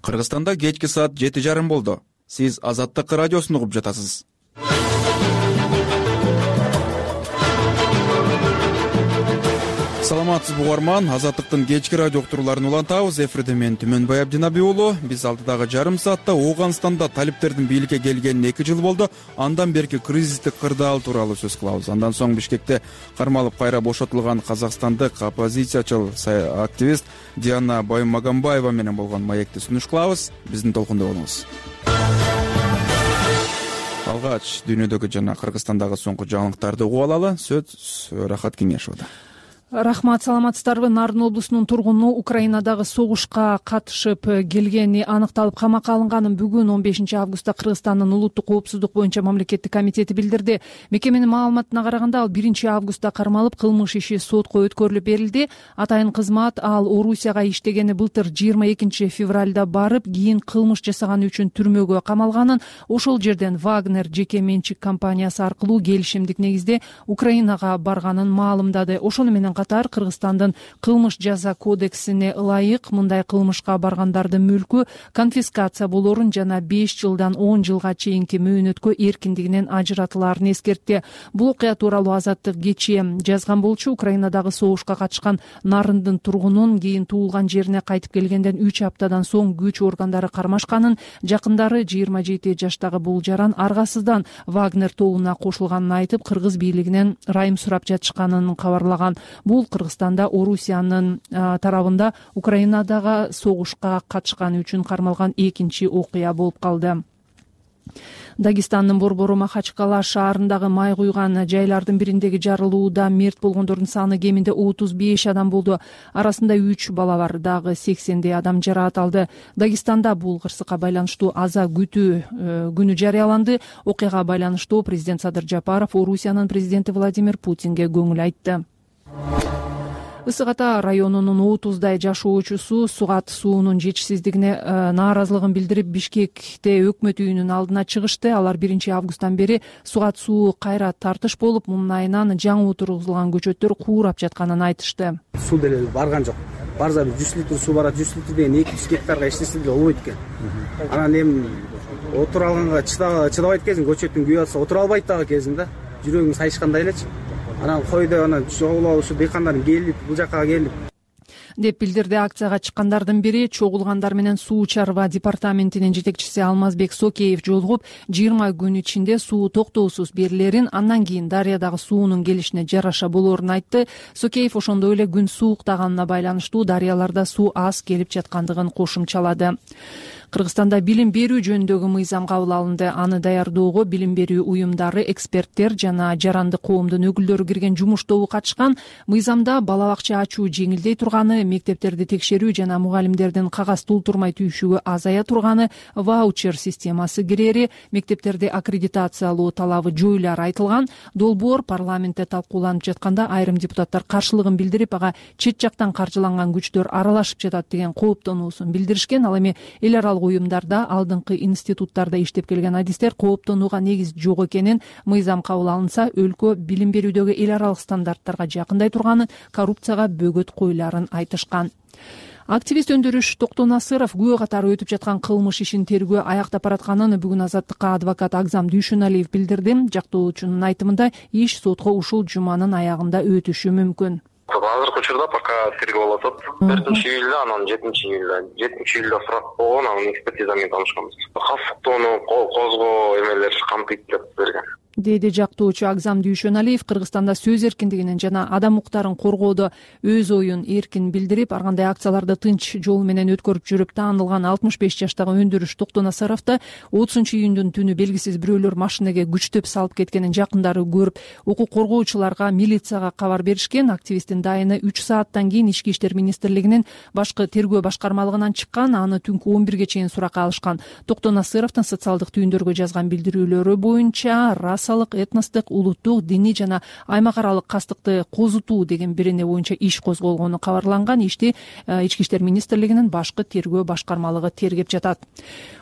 Кыргызстанда кечки саат 7:30 болду. Сиз Азаттык радиосун угуп жатасыз. Саламатсызбы угарман, Азаттыктын кечки радио уктурууларын улантабыз. Эфирде мен Түмөнбай Абдинаби уулу. Биз алдыдагы жарым саатта Ооганстанда талиптердин бийликке келгенине 2 жыл болду. Андан берки кризистик кырдаал тууралуу сөз кылабыз. Андан соң Бишкекте кармалып кайра бошотулган казакстандык оппозициячыл активист Диана Баймагамбаева менен болгон маекти сунуш кылабыз. Биздин толкунда болуңуз. Алгач дүйнөдөгү жана Кыргызстандагы соңку жаңылыктарды угуп алалы. Сөз Рахат Кеңешовдо. Рахмат, саламатсыздарбы? Нарын облусунун тургуну Украинадагы согушка катышып келгени аныкталып камакка алынганын бүгүн 15 августта Кыргызстандын улуттук коопсуздук боюнча мамлекеттик комитети билдирди. Мекеменин маалыматына караганда ал 1 августта кармалып кылмыш иши сотко өткөрүлүп берилди. Атайын кызмат ал Орусияга иштегени былтыр 22 февралда барып, кийин кылмыш жасаганы үчүн түрмөгө камалганын, ошол жерден Вагнер жеке менчик компаниясы аркылуу келишимдик негизде Украинага барганын маалымдады. Ошону менен катар Кыргызстандын кылмыш жаза кодексине ылайык мындай кылмышка баргандардын мүлкү конфискация болорун жана 5 жылдан 10 жылга чейинки мөөнөткө эркиндигинен ажыратылаарын эскертти. Бул окуя тууралуу Азаттык кечээ жазган болчу. Украинадагы согушка катышкан Нарындын тургунун кийин туулган жерине кайтып келгенден 3 аптадан соң күч органдары кармашканын, жакындары 27 жаштагы бул жаран аргасыздан Вагнер тобуна кошулганын айтып, кыргыз бийлигинен райым сурап жатышканын кабарлаган. Бул Кыргызстанда Орусиянын тарабында Украинадагы согушка катышканы үчүн кармалган 2-чи окуя болуп калды. Дагестандын борбору Махачкала шаарындагы май куйган жайлардын бириндеги жарылууда мерт болгондордун саны кеминде 35 адам болду. Арасында 3 бала бар, дагы 80 адам жараат алды. Дагестанда бул кырсыкка байланыштуу аза күтүү күнү жарыяланды. Окуяга байланыштуу президент Садыр Жапаров Орусиянын президенти Владимир Путинге көңүл айтты. Ысык Ата районунун 30 жашоочусу Сугат суунун жетишсиздигине нааразылыгын билдирип Бишкекте өкмөт үйүнүн алдына чыгышты. Алар 1 августтан бери Сугат суу кайра тартыш болуп, мунун айынан жаңы отургузулган көчөттөр куурап жатканын айтышты. Суу деле барган жок. Барса 100 литр суу барат, 100 литр деген 200 гектарга эчтеси деле болбойт экен. Анан эми отура алганга чыдабайт кезин, көчөттүн күйүп атса отура албайт дагы кезин да. Жүрөгүң сайышкандай элечи. Анан койдо анан чогулуп ушу дыйкандардын келип бул жакка келип деп билдирди. Акцияга чыккандардын бири чогулгандар менен суу чарба департаментинин жетекчиси Алмазбек Сокеев жолугуп, 20 күн ичинде суу токтоосуз берилерин, андан кийин дарыядагы суунун келишине жараша болоорун айтты. Сокеев ошондой эле күн сууктаганына байланыштуу дарыяларда суу аз келип жаткандыгын кошумчалады. Кыргызстанда билим берүү жөнүндөгү мыйзам кабыл алынды. Аны даярдоого билим берүү уюмдары, эксперттер жана жаранды коомдун өкүлдөрү кирген жумуш тобу катышкан. Мыйзамда бала бакча ачуу жеңилдей турганы, мектептерди текшерүү жана мугалимдердин кагаз толтурмай түйүшүгү азая турганы, ваучер системасы кирери, мектептерди аккредитациялоо талабы жоюлары айтылган. Долбоор парламентте талкууланып жатканда айрым депутаттар каршылыгын билдирип, ага чет жактан каржыланган күчтөр аралашып жатат деген кооптонуусун билдиришкен. Ал эми эл аралык уюмдарда, алдыңкы институттарда иштеп келген адистер кооптонууга негиз жок экенин, мыйзам кабыл алынса өлкө билим берүүдөгү эл аралык стандарттарга жакындай турганын, коррупцияга бөгөт коюларын айтышкан. Активист өндүрүш Токтонасыров күбө катары өтүп жаткан кылмыш ишин тергөө аякта баратканын бүгүн Азаттыкка адвокат Агзам Дүйшөналиев билдирди. Жактоочунун айтымында иш сотко ушул жуманын аягында өтүшү мүмкүн. Азыркы учурда пока тергөө болуп атат. 4-июлда, анан 7-июлда сурак болгон, анын экспертиза менен таанышканбыз. Касыктоону козгоо эмелер камтыйт деп берген, деди жактоочу Агзам Дүйшөналиев. Кыргызстанда сөз эркиндигинин жана адам укуктарын коргоодо өз оюн эркин билдирип, ар кандай акцияларды тынч жол менен өткөрүп жүрүп таанылган 65 жаштагы өндүрүш Токтонасаровду 30-июндун түнү белгисиз бирөөлөр машинеге күчтөп салып кеткенин жакындары көрүп, укук коргоочуларга, милицияга кабар беришкен. Активисттин дайыны 3 сааттан кийин Ички иштер министрлигинин башкы тергөө башкармалыгынан чыккан, аны түнкү 11ге чейин суракка алышкан. Токтонасаровдун социалдык түйүндөргө жазган билдирүүлөрү боюнча расалык, этностук, улуттук, диний жана аймак аралык кастыкты козутуу деген бирине боюнча иш козголгону кабарланган. Ишти Ички иштер министрлигинин башкы тергөө башкармалыгы тергеп жатат.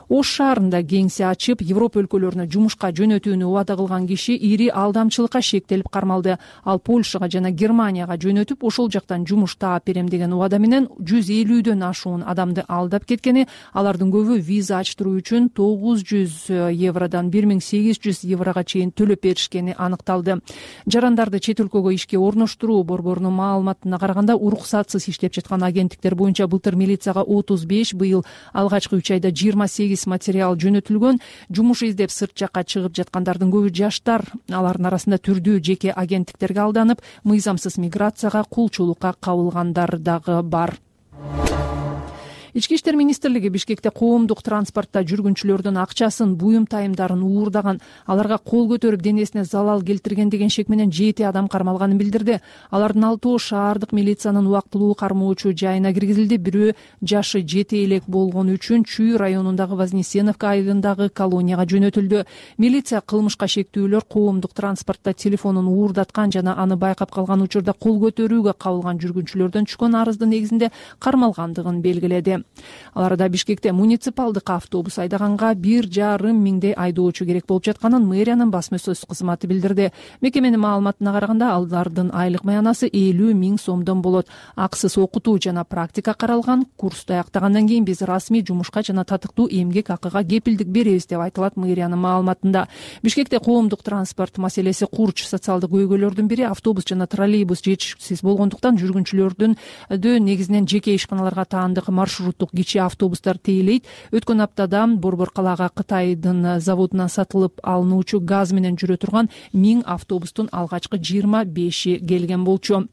Ош шаарында кеңсе ачып, Европа өлкөлөрүнө жумушка жөнөтүүнү убада кылган киши ири алдамчылыкка шектелип кармалды. Ал Польшага жана Германияга жөнөтүп, ошол жактан жумуш таап берем деген убада менен 150дөн ашуун адамды алдап кеткени, алардын көбү виза ачтыруу үчүн 900 евродон 1800 еврога чейин төлөп беришкени аныкталды. Жарандарды чет өлкөгө ишке орноштуруу борборунун маалыматына караганда, уруксатсыз иштеп жаткан агенттиктер боюнча былтыр милицияга 35, быйыл алгачкы 3 айда 28 материал жөнөтүлгөн. Жумуш издеп сырт жакка чыгып жаткандардын көбү жаштар. Алардын арасында түрдүү жеке агенттиктерге алданып, мыйзамсыз миграцияга, кулчулукка кабылгандар дагы бар. Ички иштер министрлиги Бишкекте коомдук транспортто жүргүнчүлөрдүн акчасын, буюм тайымдарын уурдаган, аларга кол көтөрүп денесине залал келтирген деген шек менен 7 адам кармалганын билдирди. Алардын 6 шаардык милициянын убактылуу кармоочу жайына киргизилди. Бирөө жашы жете элек болгону үчүн Чүй районундагы Вознесеновка айылындагы колонияга жөнөтүлдү. Милиция кылмышка шектүүлөр коомдук транспортто телефонун уурдаткан жана аны байкап калган учурда кол көтөрүүгө кабылган жүргүнчүлөрдөн түшкөн арыздын негизинде кармалгандыгын белгиледи. Аларда Бишкекте муниципалдык автобус айдаганга 1,5 миңдей айдоочу керек болуп жатканын мэриянын басма сөз кызматы билдирди. Мекеменин маалыматына караганда, алардын айлык маянасы 50 миң сомдон болот. Акысыз окутуу жана практика каралган. Курсту аяктагандан кийин биз расмий жумушка жана татыктуу эмгек акыга кепилдик беребиз деп айтылат мэриянын маалыматында. Бишкекте коомдук транспорт маселеси курч. Социалдык көйгөйлөрдүн бири автобус жана троллейбус жетишсиз болгондуктан жүргүнчүлөрдүн негизинен жеке ишканаларга таандык маршруттук кичи автобустар тейлейт. Өткөн аптада Борбор калаага Кытайдын заводунан сатылып алынуучу газ менен жүрө турган 1000 автобустун алгачкы 25 келген болчу.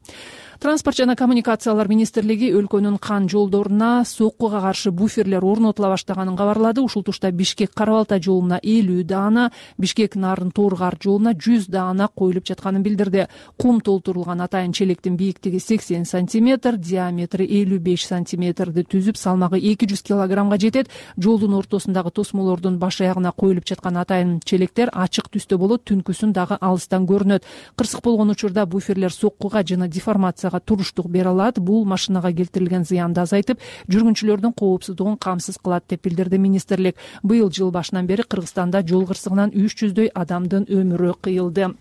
Транспорт жана коммуникациялар министрлиги өлкөнүн кан жолдоруна соккуга каршы буферлер орнотула баштаганын кабарлады. Ушул тушта Бишкек-Карабалта жолуна 50 даана, Бишкек-Нарын-Торгар жолуна 100 даана коюлуп жатканын билдирди. Кум толтурулган атайын челектин бийиктиги 80 сантиметр, диаметри 55 сантиметрди түзүп, салмагы 200 килограммга жетет. Жолдун ортосундагы тосмолордун баш аягына коюлуп жаткан атайын челектер ачык түстө болот, түнкүсүн дагы алыстан көрүнөт. Кырсык болгон учурда буферлер соккуга жана деформация туруштук бере алат. Бул машинага келтирилген зыянды азайтып, жүргүнчүлөрдүн коопсуздугун камсыз кылат деп билдирди министрлик. Быйыл жыл башынан бери Кыргызстанда жол кырсыгынан 300дөй адамдын өмүрү кыйылды.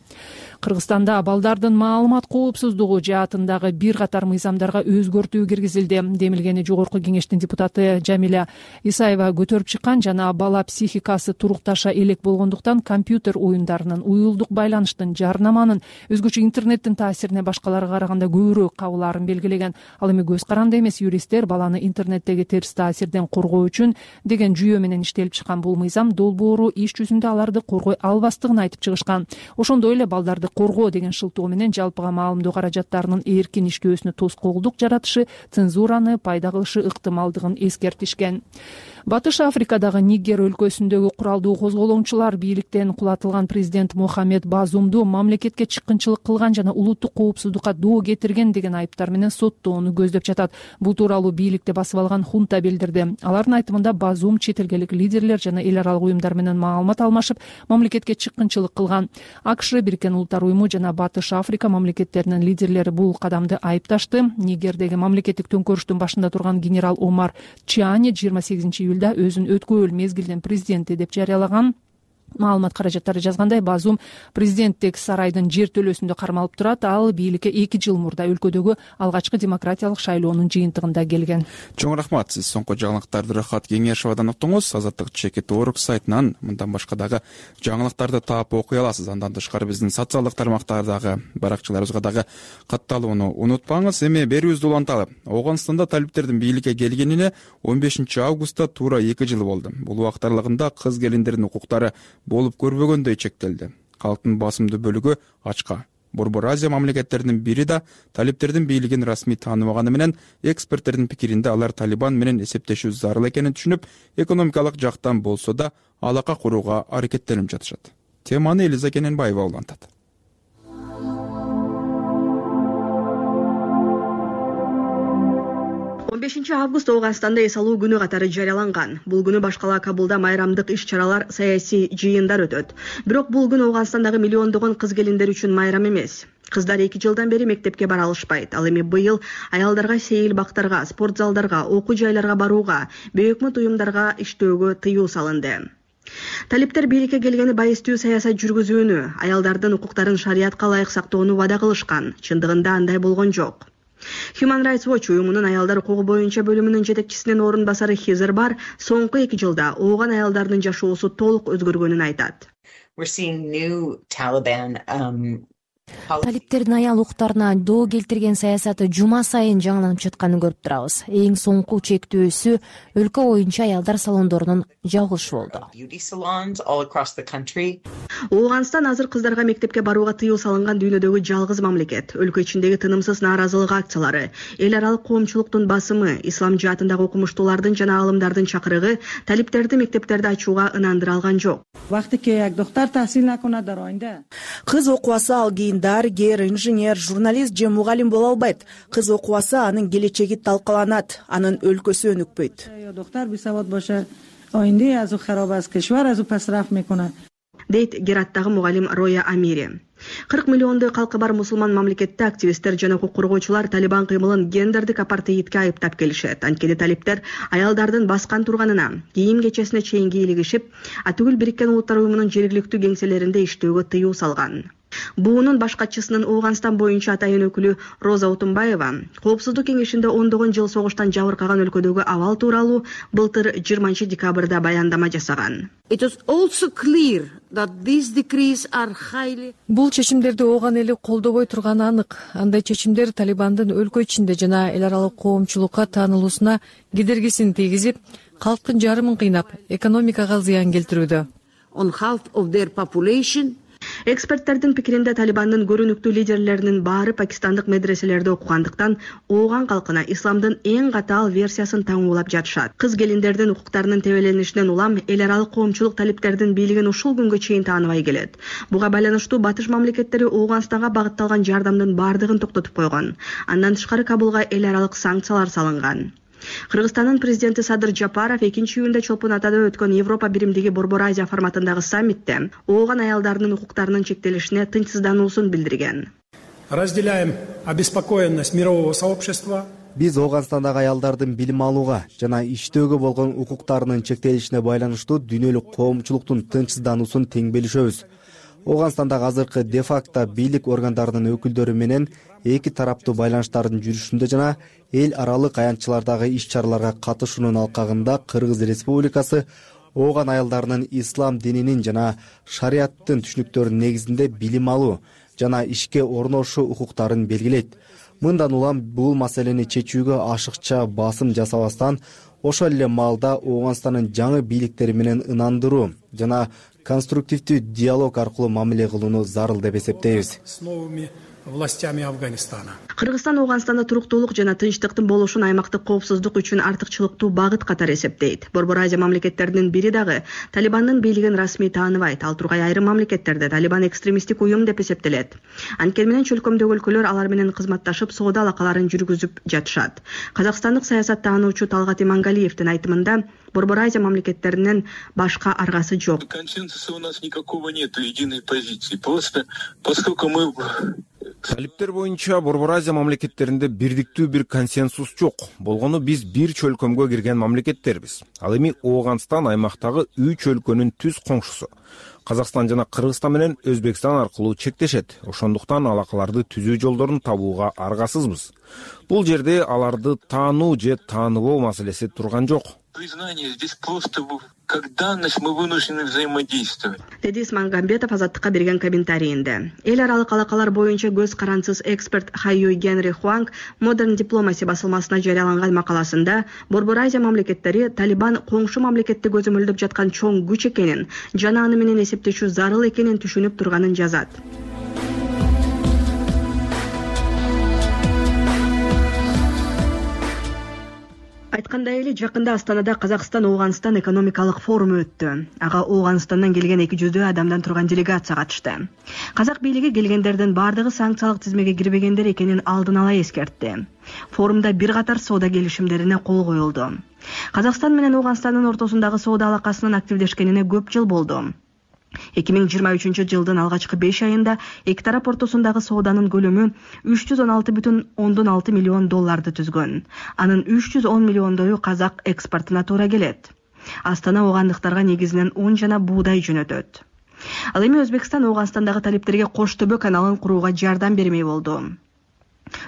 Кыргызстанда балдардын маалымат коопсуздугу жаатындагы бир катар мыйзамдарга өзгөртүү киргизилди. Демилгени Жогорку кеңештин депутаты Жамиля Исаева көтөрүп чыккан. Жана бала психикасы турукташа элек болгондуктан компьютер оюндарынын, уюлдук байланыштын, жарнаманын, өзгөчө интернеттин таасирине башкаларга караганда көбүрөөк кабылаарын белгилеген. Ал эми көз каранды эмес, юристтер баланы интернеттеги терс таасирден коргоо үчүн деген жүйө менен иштелип чыккан бул мыйзам долбоору иш жүзүндө аларды коргой албастыгын айтып чыгышкан. Ошондой эле балдарды коргоо деген шылтоо менен жалпыга маалымдоо каражаттарынын эркин иштөөсүнө тоскоолдук жаратышы, цензураны пайда кылышы ыктымалдыгын эскертишкен. Батыш Африкадагы Нигер өлкөсүндөгү куралдуу козголоңчулар бийликтен кулатылган президент Мохамед Базумду мамлекетке чыккынчылык кылган жана улуттук коопсуздукка доо кетирген деген айыптар менен соттоону көздөп жатат. Бул тууралуу бийликти басып алган хунта билдирди. Алардын айтымында Базум чет элдик лидерлер жана эл аралык уюмдар менен маалымат алмашып, мамлекетке чыккынчылык кылган. АКШ, Бириккен Улуттар уюму жана Батыш Африка мамлекеттеринин лидерлери бул кадамды айыпташты. Нигердеги мамлекеттик төңкөрүштүн башында турган генерал Омар Чиани 28 июлда өзүн өткөбөл мезгилдин президенти деп жарыялаган. Маалымат каражаттары жазгандай, Базум президенттик сарайдын жер төлөөсүндө кармалып турат. Ал бийликке 2 жыл мурда өлкөдөгү алгачкы демократиялык шайлоонун жыйынтыгында келген. Чоң рахмат. Сиз соңку жаңылыктарды Рахат Кеңешовадан уктуңуз. Азаттык Чекит.org сайтынан мындан башка дагы жаңылыктарды таап окуй аласыз. Андан тышкары биздин социалдык тармактардагы баракчаларыбызга дагы катталууну унутпаңыз. Эми берүүбүздү уланталы. Ооганстанда талиптердин бийликке келгенине 15 августта туура 2 жыл болду. Бул убакыт аралыгында кыз келиндердин укуктары болуп көрбөгөндөй чектелди. Калктын басымдуу бөлүгү ачка. Борбор Азия мамлекеттеринин бири да талиптердин бийлигин расмий тааныбаганы менен, эксперттердин пикиринде алар Талибан менен эсептешүү зарыл экенин түшүнүп, экономикалык жактан болсо да алака курууга аракеттенип жатышат. Теманы Элиза Кененбаева улантат. 15 август Ооганстанда эс алуу күнү катары жарыяланган. Бул күнү башкала Кабулда майрамдык иш-чаралар, саясий жыйындар өтөт. Бирок бул күн Ооганстандагы миллиондогон кыз келиндер үчүн майрам эмес. Кыздар 2 жылдан бери мектепке бара алышпайт. Ал эми быйыл аялдарга сейил бактарга, спорт залдарга, окуу жайларга барууга, бейөкмөт уюмдарга иштөөгө тыюу салынды. Талиптер бийликке келгени байыстуу саясат жүргүзүүнү, аялдардын укуктарын шариятка ылайык сактоону вада кылышкан. Чындыгында андай болгон жок. Human Rights Watch уюмунун аялдар укугу боюнча бөлүмүнүн жетекчисинин орун басары Хизер Бар соңку 2 жылда ооган аялдардын жашоосу толук өзгөргөнүн айтат. Талиптердин аял укуктарына доо келтирген саясаты жума сайын жаңыланып жатканын көрүп турабыз. Эң соңку чектөөсү өлкө боюнча аялдар салондорунун жабылышы болду. Ооганстан азыр кыздарга мектепке барууга тыюу салынган дүйнөдөгү жалгыз мамлекет. Өлкө ичиндеги тынымсыз нааразылык акциялары, эл аралык коомчулуктун басымы, ислам жаатындагы окумуштуулардын жана аалымдардын чакырыгы талиптерди мектептерди ачууга ынандыра алган жок. Кыз окубаса ал кийин дарыгер, инженер, журналист же мугалим боло албайт. Кыз окубаса анын келечеги талкаланат, анын өлкөсү өнүкпөйт. Дейт Гераттагы мугалим Роя Амири. 40 миллиондой калкы бар мусулман мамлекетте активисттер жана укук коргоочулар Талибан кыймылын гендердик апартеидке айыптап келишет. Анткени талиптер аялдардын баскан турганына, кийим кечесине чейин кийлигишип, атүгүл Бириккен Улуттар уюмунун жергиликтүү кеңселеринде иштөөгө тыюу салган. Буунун баш катчысынын Ооганстан боюнча атайын өкүлү Роза Утунбаева Коопсуздук кеңешинде 10 жыл согуштан жабыркаган өлкөдөгү абал тууралуу былтыр 20 декабрда баяндама жасаган. Бул чечимдерди ооган эли колдобой турганы анык. Андай чечимдер Талибандын өлкө ичинде жана эл аралык коомчулукка таанылуусуна кедергисин тийгизип, калктын жарымын кыйнап, экономикага зыян келтирүүдө. Эксперттердин пикиринде Талибандын көрүнүктүү лидерлеринин баары пакистандык медреселерде окугандыктан ооган калкына исламдын эң катаал версиясын таңуулап жатышат. Кыз келиндердин укуктарынын тебеленишинен улам эл аралык коомчулук талиптердин бийлигин ушул күнгө чейин тааныбай келет. Буга байланыштуу батыш мамлекеттери Ооганстанга багытталган жардамдын баардыгын токтотуп койгон. Андан тышкары Кабулга эл аралык санкциялар салынган. Кыргызстандын президенти Садыр Жапаров 2-июнда Чолпон Атада өткөн Европа биримдиги Борбор Азия форматындагы саммитте ооган аялдардын укуктарынын чектелишине тынчсыздануусун билдирген. Разделяем обеспокоенность мирового сообщества. Биз Ооганстандагы аялдардын билим алууга жана иштөөгө болгон укуктарынын чектелишине байланыштуу дүйнөлүк коомчулуктун тынчсыздануусун тең билишебиз. Ооганстандагы азыркы де-факто бийлик органдарынын өкүлдөрү менен эки тараптуу байланыштардын жүрүшүндө жана эл аралык аянтчылардагы иш-чараларга катышуунун алкагында Кыргыз Республикасы ооган аялдарынын ислам дининин жана шариаттын түшүнүктөрүнүн негизинде билим алуу жана ишке орношуу укуктарын белгилейт. Мындан улам бул маселени чечүүгө ашыкча басым жасабастан, ошол эле маалда Ооганстандын жаңы бийликтери менен ынандыруу жана конструктивдүү диалог аркылуу мамиле кылууну зарыл деп эсептейбиз. Властями Афганистана. Кыргызстан Ооганстанда туруктуулук жана тынчтыктын болушун аймактык коопсуздук үчүн артыкчылыктуу багыт катары эсептейт. Борбор Азия мамлекеттеринин бири дагы Талибандын бийлигин расмий тааныбайт. Ал тургай айрым мамлекеттерде Талибан экстремисттик уюм деп эсептелет. Анткени менен чөлкөмдөгү өлкөлөр алар менен кызматташып, соода алакаларын жүргүзүп жатышат. Казакстандык саясаттануучу Талгат Имангалиевдин айтымында Борбор Азия мамлекеттеринин башка аргасы жок. Консенсуса у нас никакого нету, единой позиции. Просто поскольку мы Талиптер боюнча Борбор Азия мамлекеттеринде бирдиктүү бир консенсус жок. Болгону биз бир чөлкөмгө кирген мамлекеттербиз. Ал эми Ооганстан аймактагы 3 өлкөнүн түз коңшусу. Казакстан жана Кыргызстан менен Өзбекстан аркылуу чектешет. Ошондуктан алакаларды түзүү жолдорун табууга аргасызбыз. Бул жерде аларды таануу же тааныбоо маселеси турган жок. Признание здесь просто как данность, мы вынуждены взаимодействовать. Деди Исмагамбетов Азаттыкка берген комментарийинде. Эл аралык алакалар боюнча көз карансыз эксперт Хайюй Генри Хуанг Modern Diplomacy басылмасына жарыяланган макаласында Борбор Азия мамлекеттери Талибан коңшу мамлекетти көзөмөлдөп жаткан чоң күч экенин жана аны менен эсептешүү зарыл экенин түшүнүп турганын жазат. Айткандай эле жакында Астанада Казакстан-Ооганстан экономикалык форуму өттү. Ага Ооганстандан келген 200 адамдан турган делегация катышты. Казак бийлиги келгендердин бардыгы санкциялык тизмеге кирбегендер экенин алдын ала эскертти. Форумда бир катар соода келишимдерине кол коюлду. Казакстан менен Ооганстандын ортосундагы соода алакасынын активдешкенине көп жыл болду. 2023 жылдын алгачкы 5 айында эки тарап ортосундагы сооданын көлөмү $316,6 миллион түзгөн. Анын 310 миллиондою казак экспортуна туура келет. Астана оогандыктарга негизинен un жана буудай жөнөтөт. Ал эми Өзбекстан Ооганстандагы талиптерге Кош төбө каналын курууга жардам бермей болду.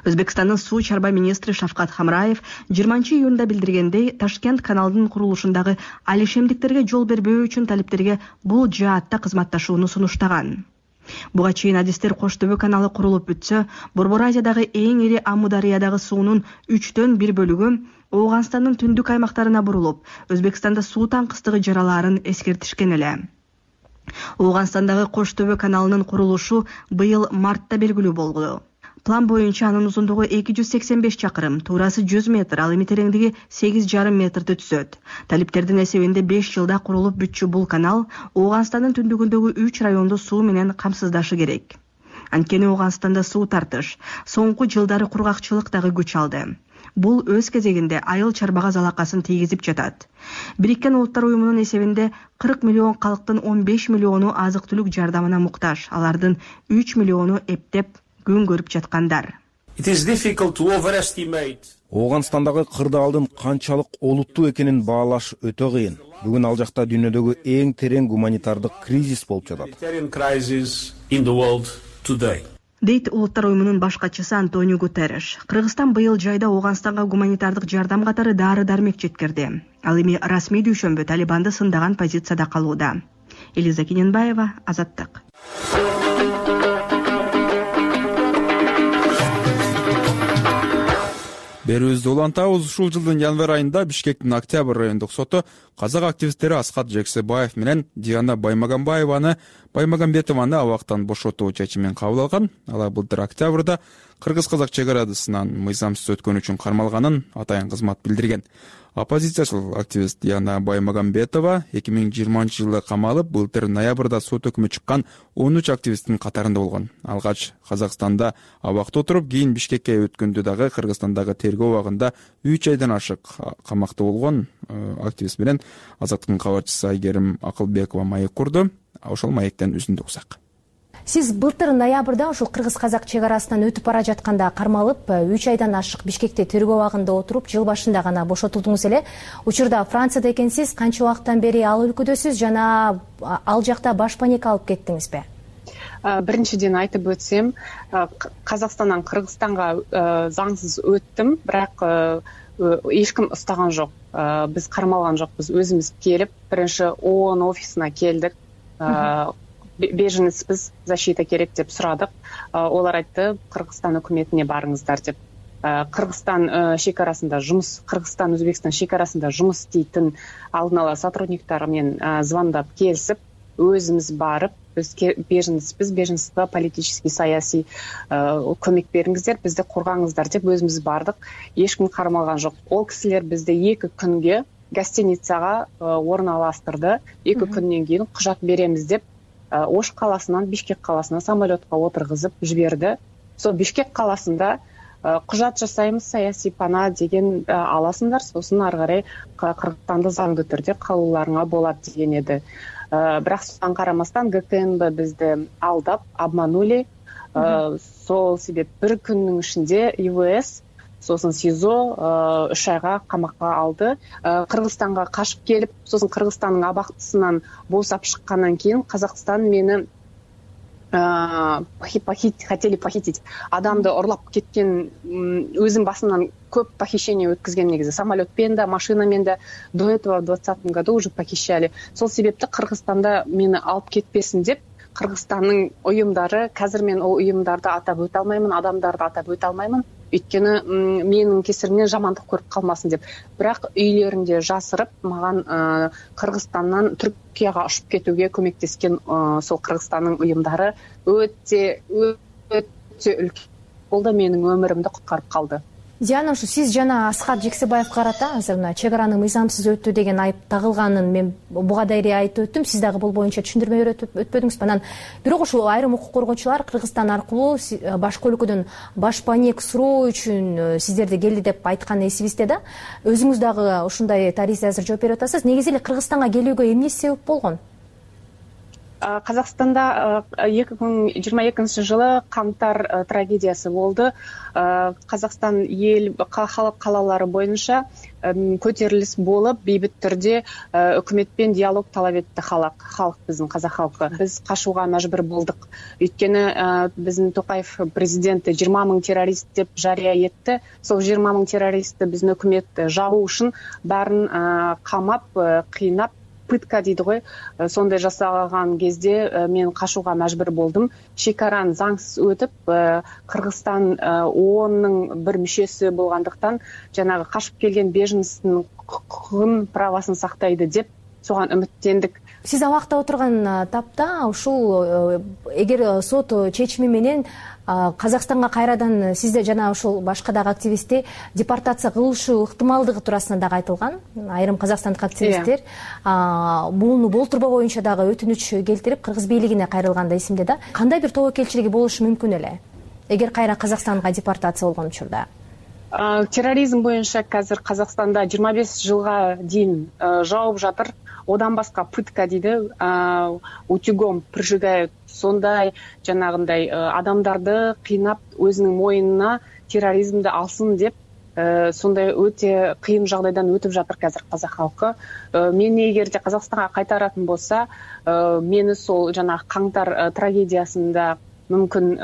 Өзбекстандын суу чарба министри Шавкат Хамраев 20-июнда билдиргендей, Ташкент каналдын курулушундагы алишемдиктерге жол бербөө үчүн талиптерге бул жаатта кызматташууну сунуштаган. Буга чейин адистер Кош төбө каналы курулуп бүтсө, Борбор Азиядагы эң ири Амудариядагы суунун 3/1 бөлүгү Ооганстандын түндүк аймактарына бурулуп, Өзбекстанда суу таңкыстыгы жаралаарын эскертишкен эле. Ооганстандагы Кош төбө каналынын курулушу быйыл мартта белгилүү болгу. План боюнча анын узундугу 285 чакырым, туурасы 100 метр, ал эми тереңдиги 8,5 метрди түзөт. Талиптердин эсебинде 5 жылда курулуп бүтчү бул канал Ооганстандын түндүгүндөгү 3 районду суу менен камсыздашы керек. Анткени Ооганстанда суу тартыш соңку жылдары кургакчылык дагы күч алды. Бул өз кезегинде айыл чарбага залакасын тийгизип жатат. Бириккен Улуттар уюмунун эсебинде 40 миллион калктын 15 миллиону азык-түлүк жардамына муктаж. Алардын 3 миллиону эптеп күн көрүп жаткандар. Ооганстандагы кырдаалдын канчалык олуттуу экенин баалаш өтө кыйын. Бүгүн ал жакта дүйнөдөгү эң терең гуманитардык кризис болуп жатат. Дейт Улуттар уюмунун баш катчысы Антонио Гутерреш. Кыргызстан быйыл жайда Ооганстанга гуманитардык жардам катары дары-дармек жеткирди. Ал эми расмий дүйшөмбү Талибанды сындаган позицияда калууда. Элиза Кененбаева, Азаттык. Берүүбүздү улантабыз. Ушул жылдын январь айында Бишкектин Октябрь райондук соту казак активисттери Аскат Жексебаев менен Диана Баймагамбетованы абактан бошотуу чечимин кабыл алган. Алар былтыр октябрда кыргыз-казак чек арасынан мыйзамсыз өткөн үчүн кармалганын атайын кызмат билдирген. Оппозициячыл активист Диана Баймагамбетова 2020 жылы камалып, былтыр ноябрда сот өкүмү чыккан 13 активисттин катарында болгон. Алгач Казакстанда абакта отуруп, кийин Бишкекке өткөндө дагы Кыргызстандагы тергөө убагында 3 айдан ашык камакта болгон активист менен Азаттыктын кабарчысы Айгерим Акылбекова маек курду. Ошол маектен үзүндү уксак. Сиз былтыр ноябрда ушул кыргыз-казак чек арасынан өтүп бара жатканда кармалып, 3 айдан ашык Бишкекте тергөө убагында отуруп, жыл башында гана бошотулдуңуз эле. Учурда Францияда экенсиз, канча убакыттан бери ал өлкөдөсүз жана ал жакта баш паника алып кеттиңизби? Биринчиден айтып өтсем, Казакстандан Кыргызстанга заңсыз өттүм, бирок эч ким устаган жок. Биз кармалган жокпуз, өзүбүз келип, биринчи ООН офисине келдик. Беженецпиз, защита керек деп сурадык. Олар айтты, Кыргызстан өкмөтүнө барыңыздар деп. Кыргызстан шекарасында жумуш, Кыргызстан Өзбекстан шекарасында жумуш істейтин алдын ала сотрудниктар менен звондап келсип, өзүбүз барып, биз беженецпиз, беженецке политический саясий көмөк бериңиздер, бизди коргоңуздар деп өзүбүз бардык. Эч ким кармалган жок. Ол кисилер бизди 2 күнгө гостиницага орналаштырды. 2 күндөн кийин кужат беребиз деп Ош каласынан Бишкек каласына самолетко отургузуп жиберди. Сол Бишкек каласында кужат жасайбыз, саясий пана деген аласыңдар, сосын ары карай Кыргызстанды заңдуу түрдө калууларыңа болот деген эди. Бирок соған карамастан ГКНБ бизди алдап, обманули. Сол себеп 1 күндүн ичинде ИВС сосын СИЗО 3 айга камакка алды. Кыргызстанга качып келип, сосын Кыргызстандын абактысынан босап шыккандан кийин Казакстан мени хотели похитить. Адамды урлап кеткен, өзүм басымдан көп похищение өткізген негизи. Самолетпен да, машинамен да до этого в 2020 году уже похищали. Сол себепти Кыргызстанда мени алып кетпесин деп, Кыргызстандын уюмдары, қазір мен ол уюмдарды атап өтө алмаймын, адамдарды атап өтө алмаймын. Өйткені менің кесірімнен жамандық көріп қалмасын деп. Бірақ үйлерінде жасырып, маған Кыргызстаннан Түркияға ұшып кетуге көмектескен сол Кыргызстанның уюмдары өте үлкен болды, менің өмірімді құтқарып қалды. Диана, ушу сиз жана Асхат Жексебаев карата азыр мына чек араны мыйзамсыз өтүү деген айып тагылганын мен буга дайре айтып өттүм. Сиз дагы бул боюнча түшүндүрмө өтпөдүңүз. Анан бирок ушул айрым укук коргоочулар Кыргызстан аркылуу башка өлкөдөн баш паек суроо үчүн сиздерди келди деп айткан эсибизде да. Өзүңүз дагы ушундай тарихи азыр жооп берип атасыз. Негизи эле Кыргызстанга келүүгө эмне себеп болгон? Казакстанда 2022 жылы каңтар трагедиясы болды. Казакстан эл калалары боюнча көтерилис болуп, бейбит түрдө өкмөтпен диалог талап этти халк, биздин казак халкы. Биз качууга мажбур болдук. Өйткөнү биздин Токаев президенти 20 000 террорист деп жарыя этти. Сол 20 000 террористти биздин өкмөт жабуу үчүн баарын камап, кыйнап, пытка дейді ғой, сондай жасалған кезде мен качууга мажбур болдум. Шекараны заңсыз өтүп, Кыргызстан ООНнун бір мүшөсү болгондуктан жанагы качып келген беженцтин укугун, правасын сактайды деп соган үмүттендик. Сиз абакта отурган тапта ушул эгер сот чечими менен Казакстанга кайрадан сизде жана ушул башка дагы активистти депортация кылышы ыктымалдыгы туурасында дагы айтылган. Айрым казакстандык активисттер буну болтурбоо боюнча дагы өтүнүч келтирип Кыргыз бийлигине кайрылганда эсимде да. Кандай бир тобокелчилиги болушу мүмкүн эле эгер кайра Казакстанга депортация болгон учурда? Терроризм боюнча қазір Казакстанда 25 жылга дейин жауып жатыр. Одан басқа пытка дейді, утюгом прижигают, сондай жанагындай адамдарды кыйнап өзүнүн мойнуна терроризмди алсын деп, сондай өтө кыйын жагдайдан өтүп жатыр қазір казак халкы. Мени эгерде Казакстанга кайтаратын болса, мени сол жанагы каңтар трагедиясында мүмкүн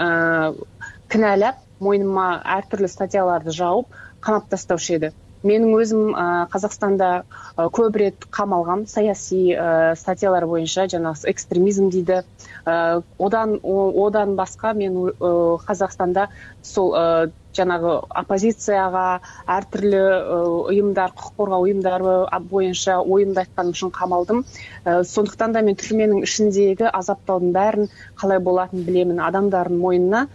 кінәлап, мойнума ар түрлүү статьяларды жауып, камап таштаушы еді. Менің өзім Казакстанда көп рет камалгам, саясий статьялар боюнча, жанагы экстремизм дейді. Одан басқа мен Казакстанда сол жанагы оппозицияга, ар түрлүү уюмдар, укук коргоо уюмдары боюнча оюмду айтканым үчүн камалдым. Сондуктан да мен түрменин ичиндеги азаптоодун баарын калай болатынын билемин. Адамдардын мойнуна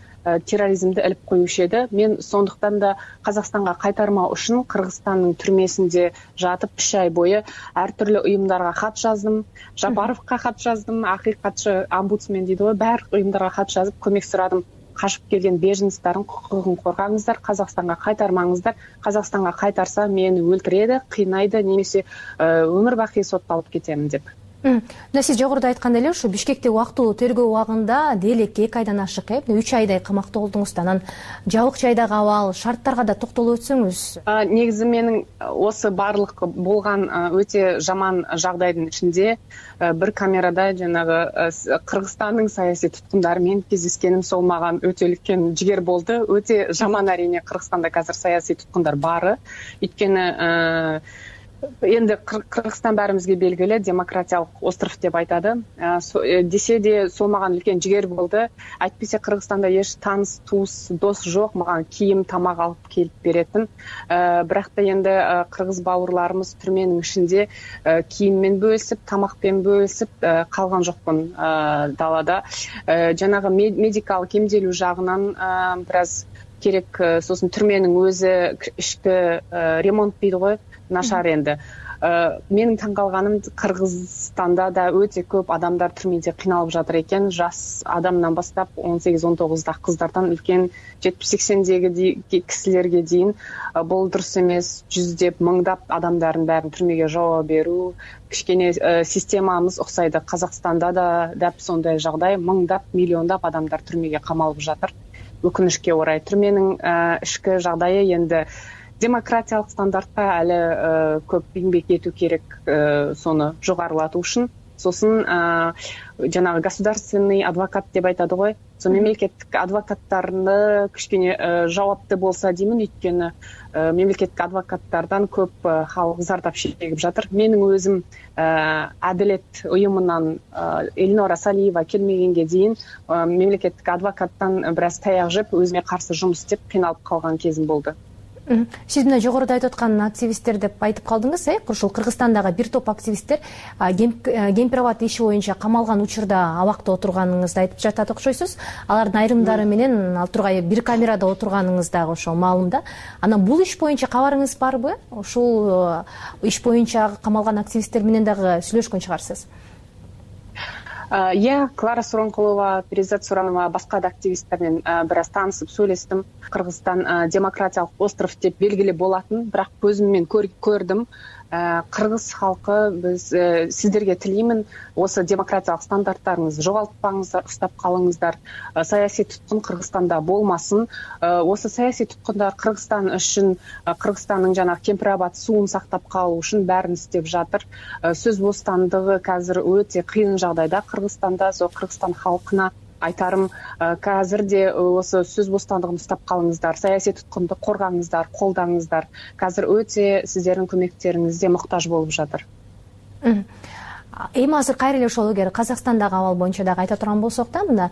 терроризмди илип коюшу еді. Мен сондуктан да Казакстанга кайтармаа үчүн Кыргызстандын түрмесинде жатып 3 ай бою ар түрлүү уюмдарга кат жаздым. Жапаровка кат жаздым, акыйкатчы омбудсмен дейді ғой, баардык уюмдарга кат жазып көмөк сурадым. Качып келген беженцтардын укугун коргаңыздар, Казакстанга кайтармаңыздар. Казакстанга кайтарса мени өлтүрөдү, кыйнайды, немесе өмүр бакый соттолуп кетемин деп. Мына сиз жогоруда айткандай эле ушу Бишкектеги убактылуу тергөө убагында делекке 2 айдан ашык 3 айдай камакта болдуңуз. Анан жабык жайдагы абал, шарттарга да токтолуп өтсөңүз. Негизи менин осы барлык болгон өтө жаман жагдайдын ичинде бир камерада жанагы Кыргызстандын саясий туткундары менен кездескеним сол мага өтө үлкен жигер болду. Өтө жаман арине Кыргызстанда азыр саясий туткундар бары. Өйткөнү енді Кыргызстан бәрімізге белгілі демократиялық остров деп айтады. Десе де сол маған үлкен жігер болды. Әйтпесе Кыргызстанда еш таныс, туыс, дос жоқ, маған киім, тамақ алып келіп беретін. Бірақ та енді кыргыз бауырларымыз түрменің ішінде киіммен бөлісіп, тамақпен бөлісіп қалған жоқпын далада. Жанағы медикалық емделу жағынан біраз керек, сосын түрменің өзі ішкі ремонт дейді ғой, нашар енді. Менің таңқалғаным Кыргызстанда да өте көп адамдар түрмеде қиналып жатыр екен. Жас адамнан бастап 18-19 қыздардан үлкен 70-80-дегі кісілерге дейін бұл дұрыс емес, жүздеп, мыңдап адамдардың бәрін түрмеге жауап беру. Кішкене системамыз ұқсайды. Қазақстанда да дәп сондай жағдай, мыңдап, миллиондап адамдар түрмеге қамалып жатыр. өкүнүшкө орай түрменин ички жагдайы энди демократиялык стандартка али көп эмгек этүү керек сону жогорулатуу үчүн. Сосын жанагы государственный адвокат деп айтады го. Со мемлекеттик адвокаттарды кичине жауапты болса деймин, өйткөнү мемлекеттик адвокаттардан көп халык зардап шегип жатыр. Менин өзүм Адилет уюмунан Эльнора Салиева келмегенге дейин мемлекеттик адвокаттан бир аз таяк жеп, өзүмө каршы жумуш иштеп кыйналып калган кезим болду. Сиз мына жогоруда айтып аткан активисттер деп айтып калдыңыз, ушул Кыргызстандагы бир топ активисттер Гемпирабад иши боюнча камалган учурда абакта отурганыңызды айтып жатат окшойсуз. Алардын айрымдары менен ал тургай бир камерада отурганыңыз дагы ошо маалым да. Анан бул иш боюнча кабарыңыз барбы? Ушул иш боюнча камалган активисттер менен дагы сүйлөшкөн чыгарсыз. Клара Суронкулова, Перизат Суранова, башка да активисттер менен бир аз таанышып сүйлөштүм. Кыргызстан демократиялык остров деп белгилүү болатын, бирок көзүм менен көрдүм. Кыргыз халкы, биз сиздерге тилеймин, осы демократиялык стандарттарыңызды жоголтпаңыздар, уштап калыңыздар. Саясий туткун Кыргызстанда болмасын. Осы саясий туткундар Кыргызстан үчүн, Кыргызстандын жанагы Кемпирабад суун сактап калуу үчүн баарын иштеп жатыр. Сөз бостандыгы азыр өтө кыйын жагдайда Кыргызстанда. Со Кыргызстан халкына айтарым, азырде осы сөз бостандыгын уштап калыңыздар, саясий туткунду коргаңыздар, колдаңыздар. Азыр өтө сиздердин көмөктөрүңүзгө муктаж болуп жатыр. Эми азыр кайра эле ошол эгер Казакстандагы абал боюнча дагы айта турган болсок да, мына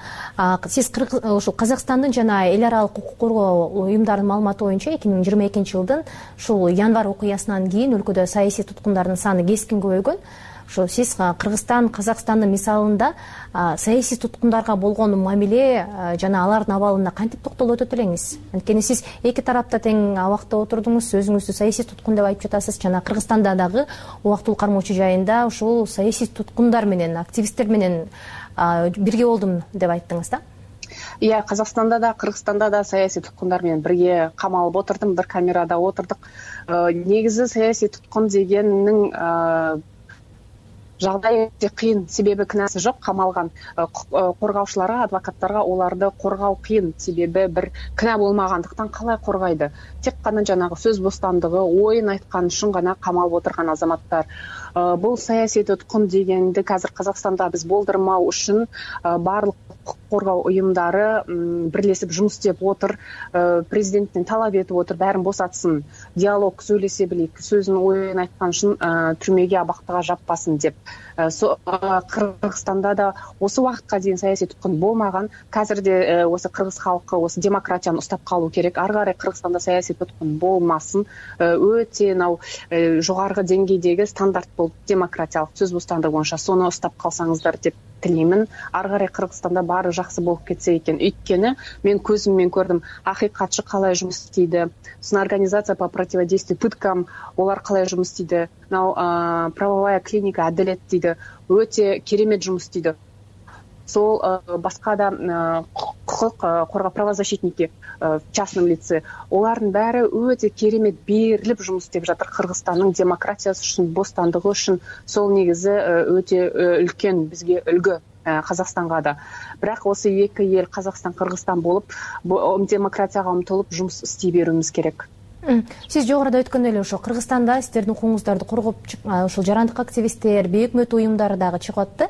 сиз ушул Казакстандын жана эл аралык укук коргоо уюмдарынын маалыматы боюнча 2022-жылдын ушул январь окуясынан кийин өлкөдө саясий туткундардын саны кескин көбөйгөн. Ошо сиз Кыргызстан, Казакстандын мисалында саясий туткундарга болгон мамиле жана алардын абалына кантип токтолуп өтөт элеңиз? Анткени сиз эки тарапта тең абакта отурдуңуз, өзүңүздү саясий туткун деп айтып жатасыз. Жана Кыргызстанда дагы убактылуу кармоочу жайында ушул саясий туткундар менен, активисттер менен бирге болдум деп айттыңыз да? Казакстанда да, Кыргызстанда да саясий туткундар менен бирге камалып отурдум, бир камерада отурдук. Негизи саясий туткун дегеннин жагдай өтө кыйын, себеби кынасы жок. Камалган коргаучуларга, адвокаттарга оларды коргоо кыйын, себеби бир кына болмагандыктан калай коргайды? Тек гана жанагы сөз бостандыгы, оюн айткан үчүн гана камалып отурган азаматтар. Бул саясий туткун дегенди азыр Казакстанда биз болдурмау үчүн баардык коргоо уюмдары бирлешип жумуш иштеп отур. Президенттин талап этип отур, баарын босатсын, диалог сүйлөшө билик, сөзүн оюн айткан үчүн түрмөгө, абактага жаппасын деп. Кыргызстанда да осы убакытка чейин саясий туткун болмаган. Азырде осы кыргыз халкы осы демократияны уштап калуу керек. Ары кары Кыргызстанда саясий туткун болмасын. Өтө жогорку деңгейдеги стандарт болуп демократиялык сөз бостандыгы боюнча сону уштап калсаңыздар деп тилеймин. Ары кары Кыргызстанда баары жакшы болуп кетсе экен. Өйткөнү мен көзүм менен көрдүм, акыйкатчы калай жумуш истейди, сосын организация по противодействию пыткам, олар калай жумуш истейди. Правовая клиника Адилет дейди, өтө керемет жумуш истейди. Сол башка да укук коргоо правозащитники в частном лице, олардын баары өтө керемет берилип жумуш иштеп жатыр Кыргызстандын демократиясы үчүн, бостандыгы үчүн. Сол негизи өтө үлкөн бизге үлгү Казакстанга да. Бирок осы эки эл, Казакстан, Кыргызстан болуп, демократияга умтулуп жумуш истей берүүбүз керек. Сиз жогоруда өткөн эле ошо Кыргызстанда сиздердин укугуңуздарды коргоп ушул жарандык активисттер, бейөкмөт уюмдары дагы чыгып атты.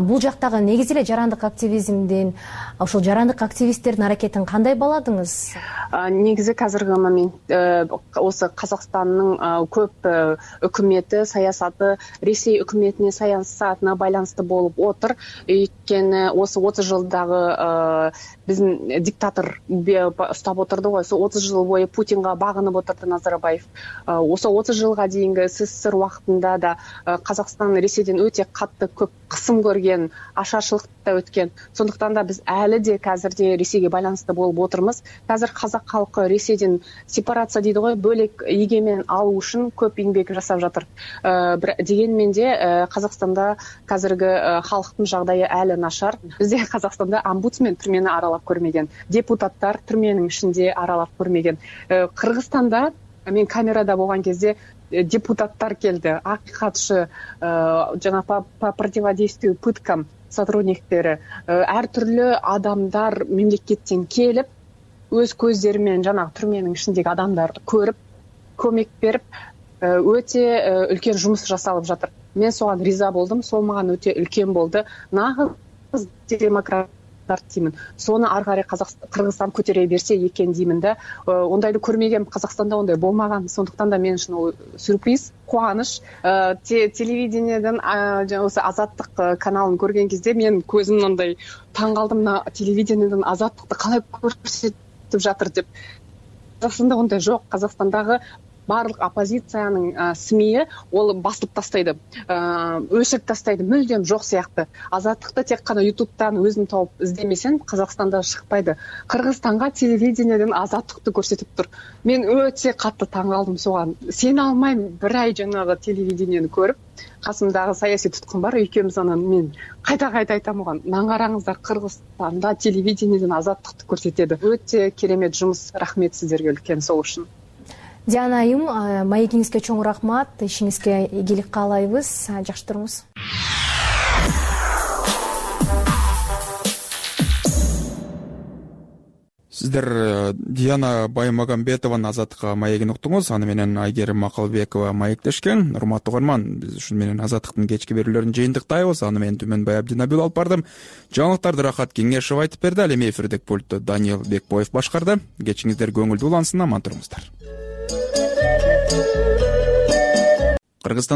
Бул жактагы негизи эле жарандык активизмдин, ошол жарандык активисттердин аракетин кандай бааладыңыз? Негизи азыркы момент осы Казакстандын көп өкмөтү, саясаты Ресей өкмөтүнүн саясатына байланыштуу болуп отур. Өйткөнү осы 30 жылдагы биздин диктатор уштап отурду го. Сол 30 жыл бою Путинга багынып отурду Назарбаев. Осы 30 жылга дейинги СССР убактында да Казакстан Ресейден өтө катты көп кысым көргөн, ашарчылыкта өткөн. Сондуктан да биз әлі де азырде Ресейге байланыштуу болуп отурмуз. Азыр казак халкы Ресейден сепарация дейди го, бөлек эгемен алуу үчүн көп эмгек жасап жатыр. Дегенмен де Казакстанда азыркы халктын жагдайы әлі нашар. Бизде Казакстанда омбудсмен түрмени аралап көрмеген, депутаттар түрменин ичинде аралап көрмеген. Кыргызстанда мен камерада болгон кезде депутаттар келди, акыйкатчы жана по противодействию пыткам сотрудниктери, ар түрлүү адамдар мемлекеттен келип өз көздөрү менен жанагы түрменин ичиндеги адамдарды көрүп көмөк берип өтө үлкен жумуш жасалып жатыр. Мен соган риза болдум. Сол мага өтө үлкен болду. Нагыз демократтар деймин. Сону ары карай Кыргызстан көтөрө берсе экен деймин да. Ондайды көрмөгөм, Казакстанда ондай болмаган. Сондуктан да мен үчүн сюрприз, кубаныч. Телевидениеден осы Азаттык каналын көргөн кезде мен көзүм мындай таң калдым. Мына телевидениеден Азаттыкты калай көрсөтүп жатыр деп. Казакстанда ондай жок. Казакстандагы барлык оппозициянын СМИ ол басып тастайды, өчүрүп тастайды, мүлдем жок сыяктуу. Азаттыкты тек гана ютубтан өзүң тауып издемесең Казакстанда шыкпайды. Кыргызстанга телевидениеден Азаттыкты көрсөтүп тур. Мен өтө катты таң калдым соган. Сене алмайм, бир ай жанагы телевидениени көрүп, касымдагы саясий туткун бар, экөөбүз анан мен кайта айтам оған. Наңараңыздар, Кыргызстанда телевидениеден Азаттыкты көрсөтөдү. Өтө керемет жумуш. Рахмет сиздерге үлкен сол үчүн. Диана айым, маегиңизге чоң рахмат, ишиңизге ийгилик каалайбыз, жакшы туруңуз. Сиздер Диана Баймагамбетованын Азаттыкка маегин уктуңуз. Аны менен Айгерим Макалбекова маектешкен. Урматтуу угарман, биз ушун менен Азаттыктын кечки берүүлөрүн жыйынтыктайбыз. Аны менен Түмөнбай Абдинабил алып бардым. Жаңылыктарды Рахат Кеңешев айтып берди. Ал эми эфирдик пультту Даниил Бекбоев башкарды. Кечиңиздер көңүлдүү улансын, аман туруңуздар. Кыргызстан